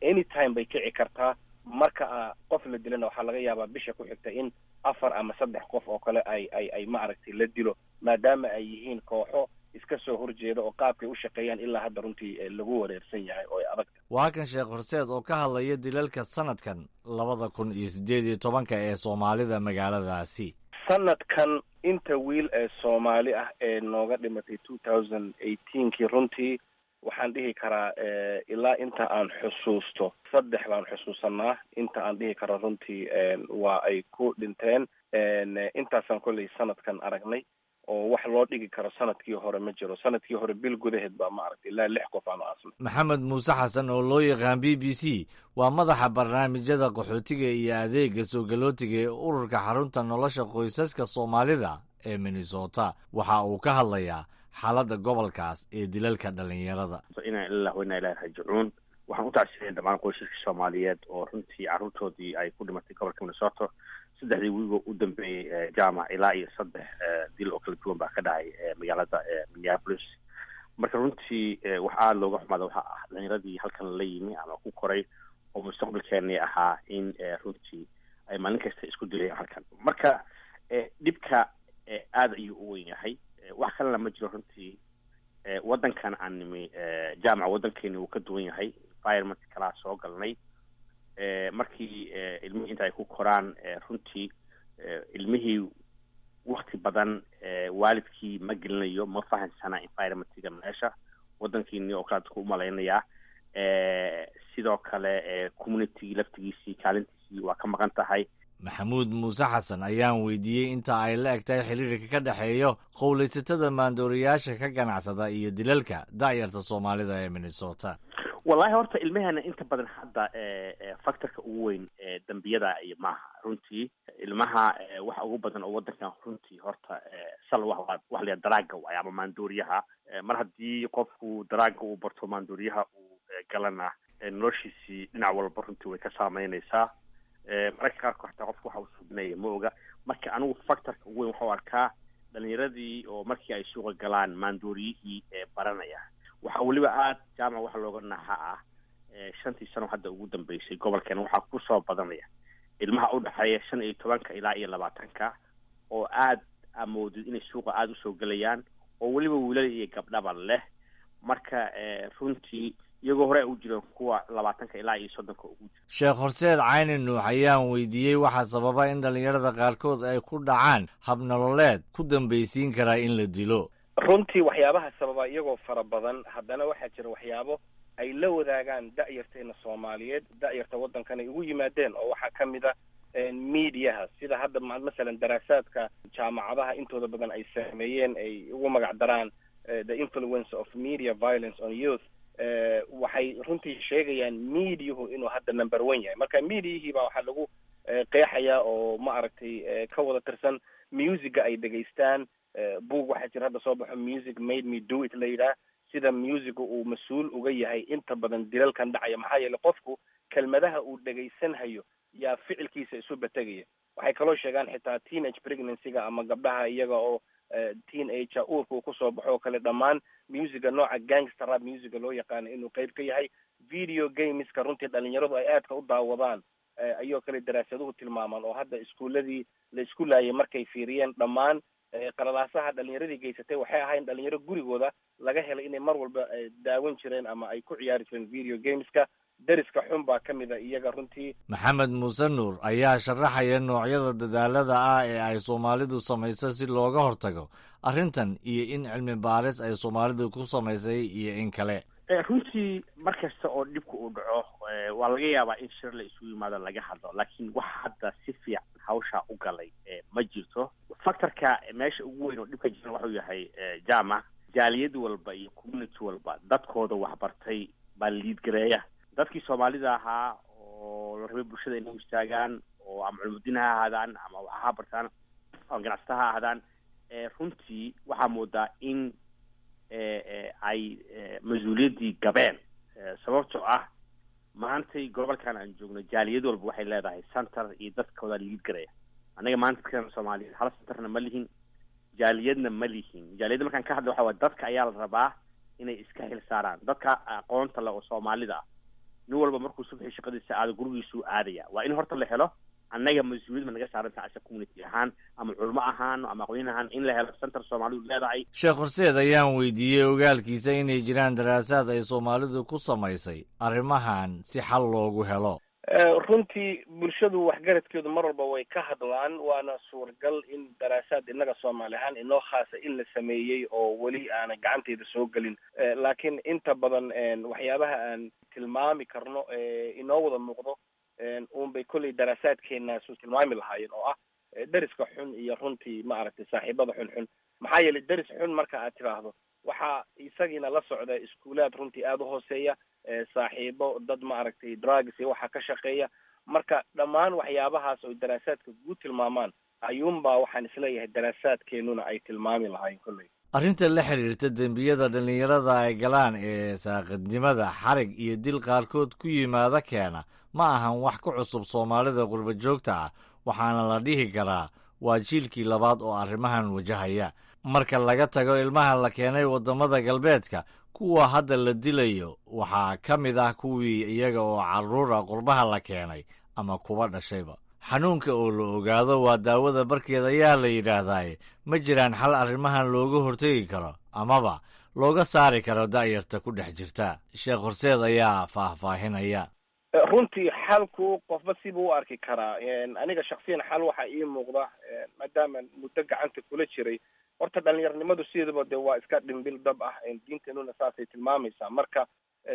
anytime bay kici kartaa. Marka qof la dilana waxaa laga yaabaa bisha ku xigta in afar ama saddex qof oo kale ay ay ay ma aragtay, la dilo, maadaama ay yihiin kooxo iska soo horjeeda oo qaabkay u shaqeeyaan ilaa hadda runtii lagu wareersan yahay oo ay adag. Waa kan Sheekh Horseed oo ka hadlaya dilalka sanadkan labada kun iyo siddeed iyo tobanka ee Soomaalida magaaladaasi. Sanadkan inta wiil ee Soomaali ah ee nooga dhimatay two thousand eighteenkii, runtii waxaan dhihi karaa ilaa inta aan xusuusto saddex baan xusuusanaa. Inta aan dhihi karo runtii waa ay ku dhinteen intaasaan kolley sanadkan aragnay oo wax loo dhigi karo sanadkii hore ma jiro. Sanadkii hore bil gudaheed baa, ma aragtay, ilaa lix qof aanu aasnay. Maxamed Muuse Xasan oo loo yaqaan B B C waa madaxa barnaamijyada qaxootiga iyo adeega soo galootiga ee ururka Xarunta Nolosha Qoysaska Soomaalida ee Minnesota. Waxa uu ka hadlayaa xaaladda gobolkaas ee dilalka dhallinyarada. Inaa lilah wa inaa ilahi raajicuun. Waxaan u tacsiinaya dhammaan qoysaska Soomaaliyeed oo runtii carruurtoodii ay ku dhimatay gobolka Minnesota. Saddexdii wiigo u dambeeyey, jaamac, ilaa iyo saddex dil oo kala duwan baa ka dhacay magaalada Minneapolis. Marka runtii wax aada looga xumaada waxa ah dhalinyaradii halkan la yimi ama ku koray oo mustaqbalkeenii ahaa in runtii ay maalin kasta isku dilayaan halkan. Marka dhibka aada ayuu u weyn yahay, wax kalena ma jiro. Runtii waddankan aan nimi, jaamaca, waddankeeni wuu ka duwan yahay, environment kalaa soo galnay. Markii ilmihii inta ay ku koraan, runtii ilmihii wakti badan waalidkii ma gelinayo, ma fahansana environmentiga meesha waddankiini oo kale dadku umalaynayaa. Sidoo kale communitygii laftigiisii kaalintiisii waa ka maqan tahay. Maxamuud Muuse Xasan ayaan weydiiyey inta ay la eg tahay xiriirka ka dhexeeyo qowlaysatada maandooriyaasha ka ganacsada iyo dilalka da'yarta Soomaalida ee Minnesota. Wallahi horta ilmahana inta badan hadda factorka ugu weyn dambiyada iyo maaha. Runtii ilmaha waxa ugu badan oo waddankan runtii horta sal wa waxa la daraaga waay ama maandooriyaha. Mar haddii qofku daraaga uu barto, maandooriyaha uu galana, noloshiisii dhinac walba runtii way ka saameynaysaa. Mararka qaarkood xataa qofku waxa uu subinaya ma oga. Marka anigu factorka ugu weyn waxau arkaa dhalinyaradii oo markii ay suuqa galaan maandooriyihii baranaya. Waxaa weliba aada, jaamac, waxa looga naxa ah shantii sano hadda ugu dambeysay gobolkeena waxaa kusoo badanaya ilmaha udhexeeya shan iyo tobanka ilaa iyo labaatanka oo aad amoodid inay suuqa aada usoo gelayaan, oo weliba wiilal iyo gabdhaba leh. Marka runtii iyagoo hore u jireen kuwa labaatanka ilaa iyo soddonka ugu jira. Sheekh Horseed Cayni Nuux ayaan weydiiyey waxaa sababa in dhallinyarada qaarkood ay ku dhacaan habnololeed ku dambaysiin karaa in la dilo. Runtii waxyaabaha sababa iyagoo fara badan, haddana waxaa jira waxyaabo ay la wadaagaan da'yarteena Soomaaliyeed, da'yarta waddankan ay ugu yimaadeen, oo waxaa ka mid a mediaha. Sida hadda masalan daraasaadka jaamacadaha intooda badan ay sameeyeen, ay ugu magac daraan "The Influence of Media Violence on Youth", waxay runtii sheegayaan mediahu inuu hadda number one yahay. Marka mediahii baa waxaa lagu qeexayaa oo, ma aragtay, ka wada tirsan musica ay dhegaystaan. Book waxaa jira hadda soo baxo, "Music Made Me Do It" la yidhaah. Sida musica uu mas-uul uga yahay inta badan dilalkan dhacaya, maxaa yeelay qofku kelmadaha uu dhegaysanhayo yaa ficilkiisa isu bategaya. Waxay kaloo sheegaan xitaa teenage pregnancy-ga ama gabdhaha iyaga oo teenager uurka uu kusoo baxo oo kale, dhammaan musica nooca gangster rap musica loo yaqaano inuu qeyb ka yahay. Video gameska runtii dhalinyaradu ay aadka u daawadaan ayoo kale daraasaduhu tilmaamaan, oo hadda iskuuladii la isku laayay markay fiiriyeen dhammaan qalalaasaha dhalinyaradii geysatay waxay ahayn dhalinyaro gurigooda laga helay inay mar walba daawan jireen ama ay ku ciyaari jireen video gameska. Deriska xun baa ka mida iyaga runtii. Maxamed Muuse Nuur ayaa sharaxaya noocyada dadaalada ah ee ay soomaalidu samayso si looga hortago arrintan iyo in cilmi baaris ay soomaalidu ku samaysay iyo in kale. Runtii mar kasta oo dhibka uu dhaco waa laga yaabaa in shir la isugu yimaado laga hadlo, laakiin wax hadda si fiican hawshaa u galay ma jirto. Factorka meesha ugu weyn oo dhibka jira wuxuu yahay, jaamac, jaaliyad walba iyo community walba dadkooda waxbartay baa liidgareeya. Dadkii soomaalida ahaa oo la rabay bulshada inay u istaagaan oo ama culumudiin ha ahaadaan ama wax ha bartaan ama ganacsata ha ahaadaan, runtii waxaa moodaa in ay mas-uuliyaddii gabeen, sababtoo ah maantay gobolkan aan joogno jaaliyad walba waxay leedahay center iyo dadkooda liid garaya. Annaga maanta dadkan soomaaliyeed hal centerna ma lihin, jaaliyadna ma lihin. Jaaliyadda markaan ka hadla waxa waay dadka ayaa la rabaa inay iska xil saaraan, dadka aqoonta leh oo soomaalida ah. Nin walba markuu subxii shaqadiisa aado gurigiisuu aadaya. Waa in horta la helo annaga mas-uuliyad ma naga saaranta asa community ahaan ama culmo ahaan ama aqoon ahaan in la helo center soomaalidu leedahay. Sheekh Horseed ayaan weydiiyey ogaalkiisa inay jiraan daraasaad ay soomaalidu ku samaysay arrimahan si xal loogu helo. Runtii bulshadu waxgaradkeedu mar walba way ka hadlaan, waana suuragal in daraasaad innaga soomaali ahaan inoo khaasa in la sameeyey oo weli aanan gacanteyda soo gelin, laakiin inta badan waxyaabaha aan tilmaami karno inoo wada muuqdo uun bay kolley daraasaadkeenaasu tilmaami lahaayeen, oo ah deriska xun iyo runtii ma aragtay saaxiibada xun xun. Maxaa yeelay deris xun marka aad tidhaahdo waxaa isagiina la socda iskuulaad runtii aada u hooseeya, saaxiibo dad ma aragtay drugs iyo waxaa ka shaqeeya. Marka dhammaan waxyaabahaas oy daraasaadka guud tilmaamaan ayuunbaa waxaan isleeyahay daraasaadkeenuna ay tilmaami lahaayeen kolley. Arrinta la xiriirta dembiyada dhallinyarada ay galaan ee saaqidnimada, xarig iyo dil qaarkood ku yimaada keena ma ahan wax ku cusub soomaalida qurba joogta ah, waxaana la dhihi karaa waa jiilkii labaad oo arrimahan wajahaya. Marka laga tago ilmaha la keenay waddamada galbeedka, kuwa hadda la dilayo waxaa ka mid ah kuwii iyaga oo carruura qurbaha la keenay ama kuwa dhashayba. Xanuunka oo la ogaado waa daawada barkeed ayaa la yidhaahdaaye, ma jiraan xal arrimahan looga hortegi karo amaba looga saari karo da'yarta ku dhex jirta? Sheekh Horseed ayaa faahfaahinaya. Runtii xalku qofba sibuu u arki karaa. Aniga shaksiyan xal waxaa ii muuqda, maadaama muddo gacanta kula jiray, horta dhalinyaranimadu sideedaba de waa iska dhimbil dab ah, diinteenuna saasay tilmaamaysaa. Marka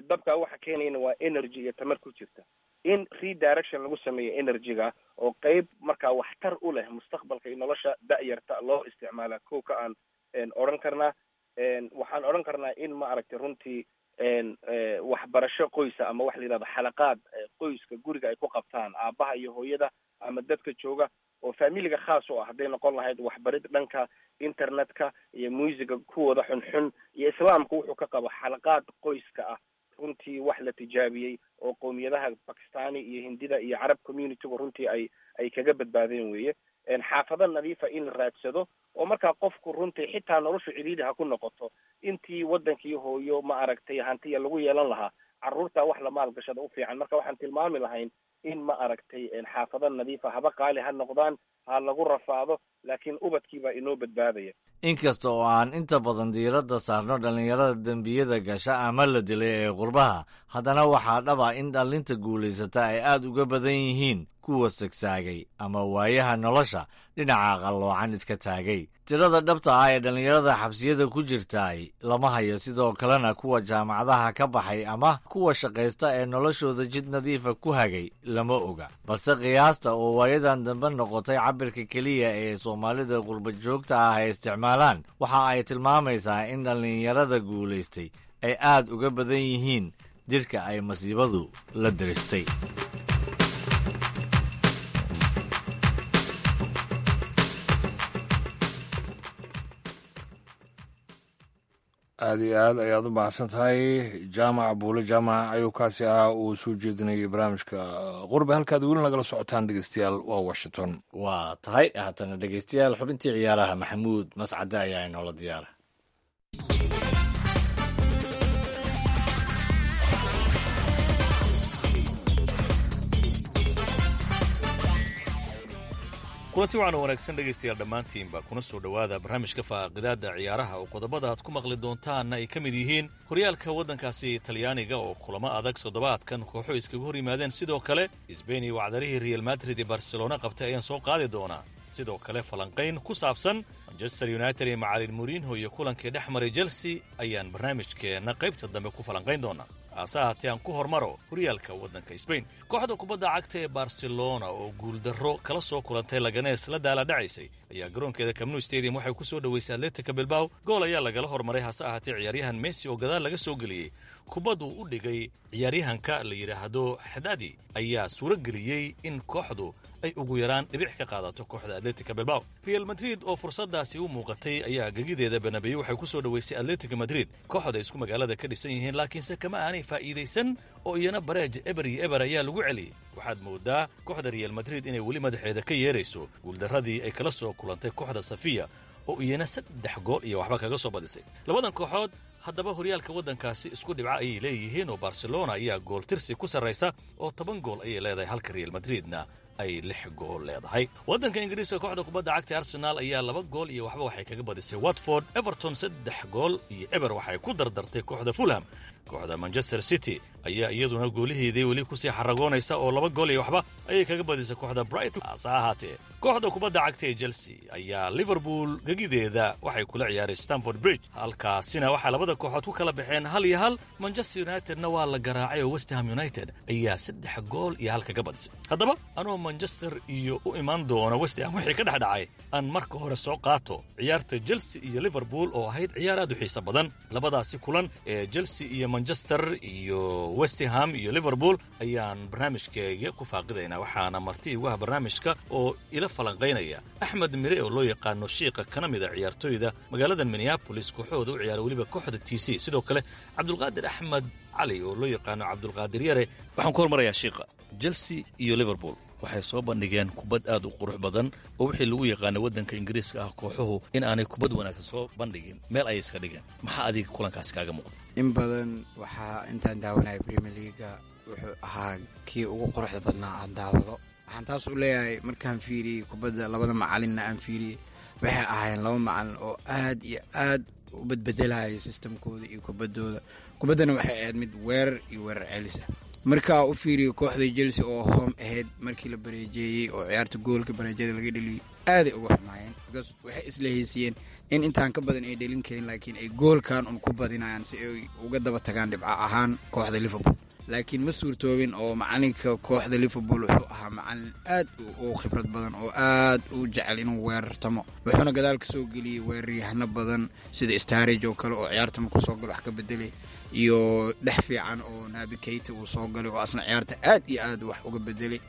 dabkaa waxa keenayana waa energy iyo tamar ku jirta, in redirection lagu sameeyo energy-ga oo qeyb markaa waxtar u leh mustaqbalka iyo nolosha da'yarta loo isticmaala. Kow ka aan odhan karnaa, waxaan odhan karnaa in ma aragtay runtii waxbarasho qoysa ama waxa la yidhahdo xalaqaad qoyska guriga ay ku qabtaan aabbaha iyo hooyada ama dadka jooga oo familiga khaas u ah, hadday noqon lahayd waxbarid dhanka internetka iyo muusiga kuwooda xunxun iyo islaamku wuxuu ka qabo, xalaqaad qoyska ah runtii wax la tijaabiyey oo qowmiyadaha Bakistani iyo Hindida iyo Carab communitygu runtii ay ay kaga badbaadeen weeye. Xaafado nadiifa in la raadsado oo markaa qofku runtii xitaa noloshu cidhiidhi ha ku noqoto, intii waddankii hooyo ma aragtay hantiya lagu yeelan lahaa, carruurta wax la maalgashada u fiican. Marka waxaan tilmaami lahayn in ma aragtay xaafado nadiifa haba qaali ha noqdaan, ha lagu rafaado, laakiin ubadkiibaa inoo badbaadaya. Inkasta oo aan inta badan diiradda saarno dhallinyarada dembiyada gasha ama la dilay ee qurbaha, haddana waxaa dhaba in dhallinta guulaysata ay aad uga badan yihiin kuwa sagsaagay ama waayaha nolosha dhinaca qalloocan iska taagay. Tirada dhabta ah ee dhallinyarada xabsiyada ku jirtaay lama hayo, sidoo kalena kuwa jaamacadaha ka baxay ama kuwa shaqaysta ee noloshooda jid nadiifa ku hagay lama oga, balse qiyaasta oo waayadan dambe noqotay cabirka keliya ee soomaalida qurba joogta ah ay isticmaalaan waxa ay tilmaamaysaa in dhallinyarada guulaystay ay aad uga badan yihiin dirka ay masiibadu la diristay. Aada iyo aad ayaad u mahadsan tahay Jaamac Buule Jaamac ayuu kaasi ahaa uu soo jeedinayay barnaamijka Qurbe. Halkaad weli nagala socotaan, dhegeystayaal, waa Washington. Waa tahay. Haatana, dhegeystayaal, xubintii ciyaaraha Maxamuud Mascade ayaa inoola diyaara. Kulanti wacan oo wanaagsan, dhegaystayaal, dhammaantiinba kuna soo dhowaada barnaamijka faaqidaadda ciyaaraha oo qodobada aad ku maqli doontaanna ay ka mid yihiin horyaalka waddankaasi Talyaaniga oo kulamo adag toddobaadkan kooxo iskaga hor yimaadeen. Sidoo kale Sbain iyo wacdarihii Real Madrid iyo Barcelona qabtay ayaan soo qaadi doonaa. Sidoo kale falanqayn ku saabsan Manchester United iyo macalin Mourinho iyo kulankii dhex maray Chelsea ayaan barnaamijkeenna qaybta dambe ku falanqayn doonaa. Hase ahaatee aan ku hormaro horyaalka waddanka Sbain. Kooxda kubadda cagta ee Barcelona oo guuldarro kala soo kulantay Laganees la daala dhacaysay ayaa garoonkeeda Camp Nou Stadium waxay ku soo dhoweysay Atletica Bilbao. Gool ayaa lagala hormaray, hase ahaatee ciyaaryahan Messi oo gadaal laga soo geliyey kubadduu u dhigay ciyaaryahanka la yidhaahdo Xadadi ayaa suuro geliyey in kooxdu ay ugu yaraan dhibic ka qaadato kooxda Atletica Bilbao. Real Madrid oo fursadaasi u muuqatay ayaa gegideeda Bernabeu waxay ku soo dhoweysay Atletico Madrid, kooxda isku magaalada ka dhisan yihiin, laakiinse kama aanay faa'iidaysan oo iyana bareej eber iyo eber ayaa lagu celiyey. Waxaad moodaa kooxda Real Madrid inay weli madaxeeda ka yeerayso guuldarradii ay kala soo kulantay kooxda Safiya oo iyana saddex gool iyo waxba kaga soo badisay. Labadan kooxood haddaba horyaalka waddankaasi isku dhibca ayay leeyihiin oo Barcelona ayaa gool tirsi ku sarraysa oo toban gool ayay leedahay, halka Real Madridna ay lix gool leedahay. Waddanka Ingiriiska, kooxda kubadda cagta Arsenal ayaa laba gool iyo waxba waxay kaga badisay Watford. Everton saddex gool iyo eber waxay ku dardartay kooxda Fulham. Kooxda Manchester City ayaa iyaduna gooliheedii weli kusii xaragoonaysa oo laba gool iyo waxba ayay kaga badisay kooxda Brighton. Hase ahaatee kooxda kubadda cagta ee Chelsea ayaa Liverpool gegideeda waxay kula ciyaaray Stamford Bridge, halkaasina waxaa labada kooxood ku kala baxeen hal iyo hal. Manchester Unitedna waa la garaacay oo West Ham United ayaa saddex gool iyo hal kaga badisay. Haddaba anoo Manchester iyo u imaan doona West Ham wixii ka dhex dhacay, aan marka hore soo qaato ciyaarta Chelsea iyo Liverpool oo ahayd ciyaar aad u xiiso badan. Labadaasi kulan ee Chelsea iyo Manchester iyo West Ham iyo Liverpool ayaan barnaamijkeega ku faaqidaynaa, waxaana marti igu ah barnaamijka oo ila falanqaynaya Axmed Mire oo loo yaqaano Shiiqa, kana mid a ciyaartooyda magaalada Minneapolis kooxooda u ciyaara, weliba kooxda T C, sidoo kale Cabdulqaadir Axmed Cali oo loo yaqaano Cabdulqaadir Yare. Waxaan ku hormarayaa Shiiqa. Chelsea iyo Liverpool waxay soo bandhigeen kubad aad u qurux badan oo wixii lagu yaqaanay waddanka Ingiriiska ah kooxuhu in aanay kubad wanaagsan soo bandhigin meel ayay iska dhigeen. Maxaa adiga kulankaasi kaaga muuqda? In badan waxaa intaan daawanaya Premier Leaga wuxuu ahaa kii ugu quruxda badnaa aan daawado. Waxaan taas u leeyahay markaan fiiriyey kubadda labada macalinna aan fiiriyey, waxay ahaayeen laba macalin oo aad iyo aad u bedbedelaya sistamkooda iyo kubaddooda. Kubaddana waxay ahayd mid weerar iyo weerar celis ah. Markaa u fiiriyo kooxda Chelsea oo home ahayd, markii la bareejeeyey oo ciyaarta goolka bareejada laga dheliyey, aaday uga xumaayeen because waxay isla heysiyeen in intaan ka badan ay dhelin karin, laakiin ay goolkan un ku badinayaan si ay uga daba tagaan dhibco ahaan kooxda Liverpool. Laakiin ma suurtoobin oo macalinka kooxda Liverpool wuxuu ahaa macalin aad u khibrad badan oo aad u jecel inuu weerartamo, wuxuuna gadaal ka soo geliyey weeraryahano badan sida Sturridge oo kale oo ciyaarta markuu soo galo wax ka bedelay, iyo dhex fiican oo Naby Keita uu soo galay oo asna ciyaarta aad iyo aad wax uga bedelay.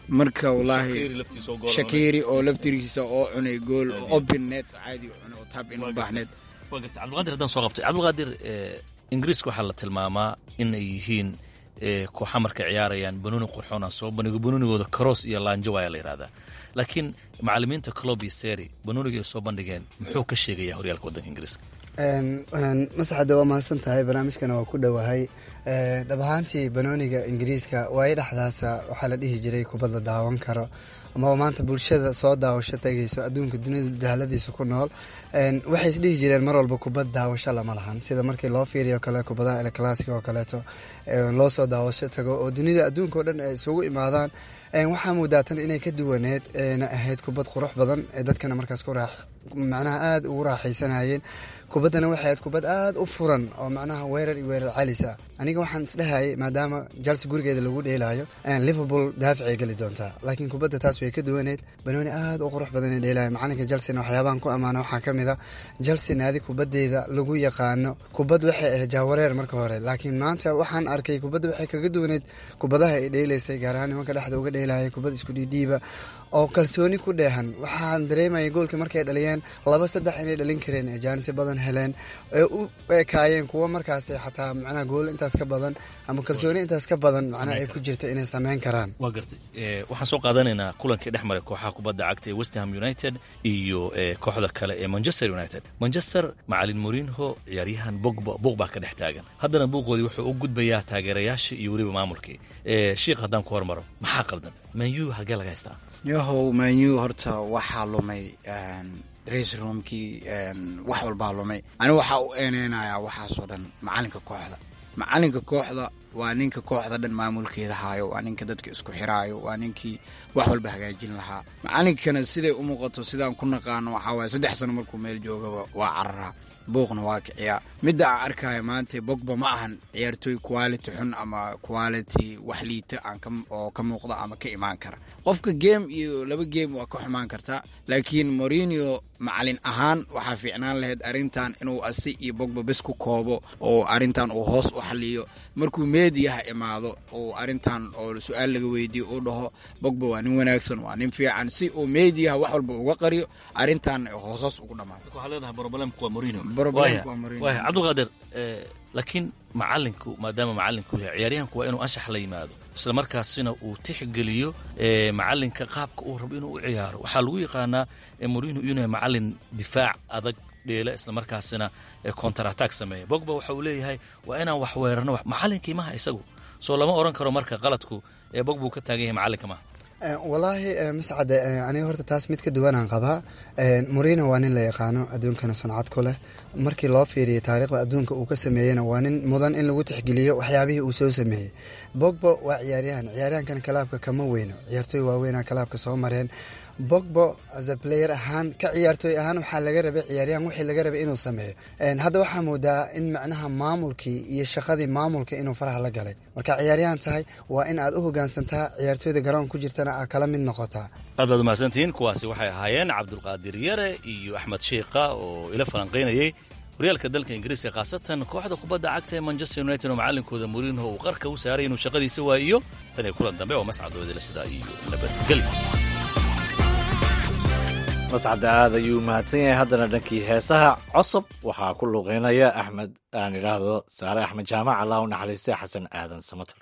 Marka wallaahi Shaqiri oo laftirkiisa oo cunay gool open net caadi u cunay oo tab in u baahneed. Waa gartay. Cabdulqaadir haddaan soo qabtay. Cabdulqaadir, Ingiriiska waxaa la tilmaamaa in ay yihiin kooxa markay ciyaarayaan banooni qurxoon aan soo bandhigo, banoonigooda cross iyo laanjo ayaa la yidhahdaa, laakiin macallimiinta Klopp iyo Seri banooniga ay soo bandhigeen muxuu ka sheegayaa horyaalka waddanka Ingiriiska? Masaxada, waa mahadsan tahay, barnaamijkana waa ku dhowahay. Dhab ahaantii banooniga Ingiriiska waayo dhexdaasa waxaa la dhihi jiray kubad la daawan karo amaba maanta bulshada soo daawasho tegayso adduunka dunida daaladiisa ku nool waxay isdhihi jireen mar walba kubad daawasho lama lahan, sida markii loo fiiriyo kale kubadaha El Clasico oo kaleeto loo soo daawasho tago oo dunida adduunka oo dhan ay isugu imaadaan. Waxaa moodaa tan inay ka duwaneed na ahayd kubad qurux badan ee dadkana markaas ku raax macnaha aada ugu raaxaysanayeen. Kubaddana waxay ahayd kubad aada u furan oo macnaha weerar iyo weerar celis ah. Aniga Aniga waxaan isdhehayay maadaama Chelsea gurigeeda lagu dheelaayo, Liverpool daaficay geli doontaa, laakiin kubadda taas way ka duwaneyd. Banooni aad u qurux badan ay dheelaya. Macalinka Chelseana waxyaabahan ku ammaana waxaa ka mid a, Chelsea naadi kubaddeeda lagu yaqaano kubad waxay ahayd jaawareer marka hore, laakiin maanta waxaan arkay kubadda waxay kaga duwaneyd kubadaha ay dheelaysay, gaar ahaan nimanka dhexda uga dheelaya kubad isku dhiidhiiba oo kalsooni ku dheehan. Waxaan dareemayay goolka markay dhaliyeen laba saddex inay dhalin kareen, ee jaanisi badan heleen, ee u ekaayeen kuwo markaas xataa macnaha gool intaas ka badan ama kalsooni intaas ka badan macnaha ay ku jirto inay sameyn karaan. Waa gartay. Waxaan soo qaadanaynaa kulankii dhex maray kooxaha kubadda cagta ee West Ham United iyo kooxda kale ee Manchester United. Manchester macalin Mourinho, ciyaaryahan Pogba buuq baa ka dhex taagan. Haddana buuqoodii wuxuu u gudbayaa taageerayaashii iyo weliba maamulkii. Shiikh, haddaan ku hormaro, maxaa qaldan Man U? Halkee laga haystaa? Yahow, Man U horta waxaa lumay dressing roomkii, wax walbaa lumay. Anigu waxaa u eeneynayaa waxaasoo dhan macalinka kooxda. Macalinka kooxda waa ninka kooxda dhan maamulkeeda haayo, waa ninka dadka isku xiraayo, waa ninkii wax walba hagaajin lahaa. Macalinkana siday u muuqato, sidaan ku naqaano, waxaa waaye saddex sano markuu meel joogaba waa cararaa, buuqna waa kiciyaa. Midda aan arkaayo maanta, Bogba ma ahan ciyaartooy quality xun ama quality wax liita aan oo ka muuqda ama ka imaan kara. Qofka game iyo laba game waa ka xumaan kartaa, laakiin Mourinho macalin ahaan waxaa fiicnaan lahayd arrintan inuu asi iyo Bogba bes ku koobo oo arrintan uu hoos u xaliyo. Markuu meediyaha imaado oo arrintan oo su-aal laga weydiiyo, uu dhaho Bogba waa nin wanaagsan, waa nin fiican, si uu meediyaha wax walba uga qariyo, arrintan hooshoos ugu dhamaato. Waxaa leedahay problemku waa Mourinho. Waaya Cabdulqaadir, laakiin macalinku maadaama macalinku yahay ciyaaryahanku, waa inuu anshax la yimaado, isla markaasina uu tixgeliyo macalinka qaabka uu rabo inuu u ciyaaro. Waxaa lagu yaqaanaa Mourinho inuu yahay macalin difaac adag dheela, isla markaasina counter attack sameeya. Bogba waxa uu leeyahay waa inaan wax weerarno. Macalinkii maha isagu, soo lama oran karo marka qaladku ee Bogba uu ka taagan yahay macalinka maha? Walaahi Mascade, aniga horta taas mid ka duwanaan qabaa. Mourinho waa nin la yaqaano, adduunkana suncad ku leh. Markii loo fiiriyay taariikhda adduunka uu ka sameeyeyna, waa nin mudan in lagu tixgeliyo waxyaabihii uu soo sameeyey. Bogba waa ciyaaryahan, ciyaaryahankana clubka kama weyno, ciyaartooy waaweynaa clubka soo mareen. Bogba as a player ahaan, ka ciyaartooy ahaan, waxaa laga rabay ciyaaryahan wixii laga rabay inuu sameeyo. Hadda waxaa moodaa in macnaha maamulkii iyo shaqadii maamulka inuu faraha la galay. Marka ciyaaryahan tahay, waa in aad u hogaansantaa ciyaartooyda garoon ku jirtana aad kala mid noqotaa. Aad baad umahadsantihiin. Kuwaasi waxay ahaayeen Cabdulqaadir Yare iyo Axmed Shiikha oo ila falanqaynayay horyaalka dalka Ingiriiska, khaasatan kooxda kubadda cagta ee Manchester United oo macalinkooda Mourinho uu qarka u saaray inuu shaqadiisa waayiyo. Tan iyo kulan dambe oo Mascad sidaa iyo nabadgelyo. Mascad aad ayuu mahadsan yahay. Haddana dhankii heesaha, Cosob waxaa ku luuqeynaya Axmed, aan idhaahdo Saare Axmed Jaamac, Allah u naxariistay, Xasan Aadan Samater.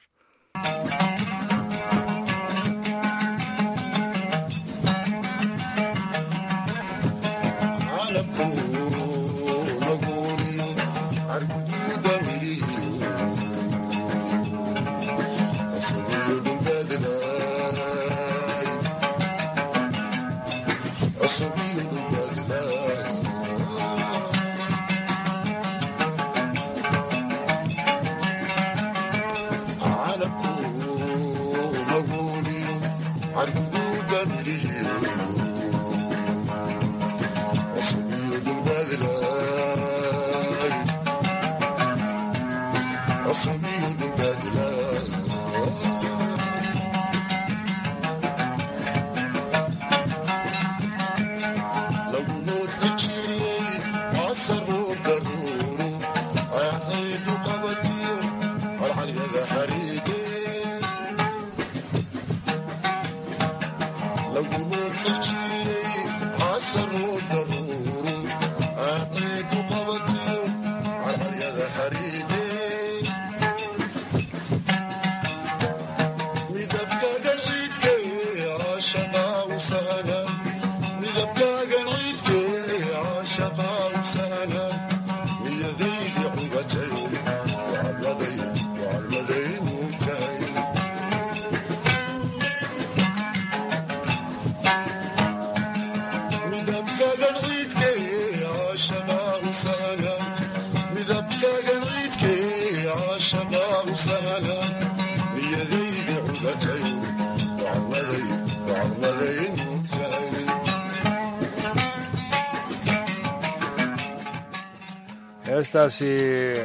Heestaasi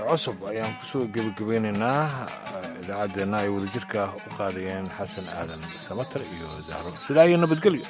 cusub ayaan kusoo gebagabeynaynaa idaacaddeenna ay wadajirka u qaadayeen Xasan Aadan Samatar iyo Zahro. Sidaa iyo nabadgelyo.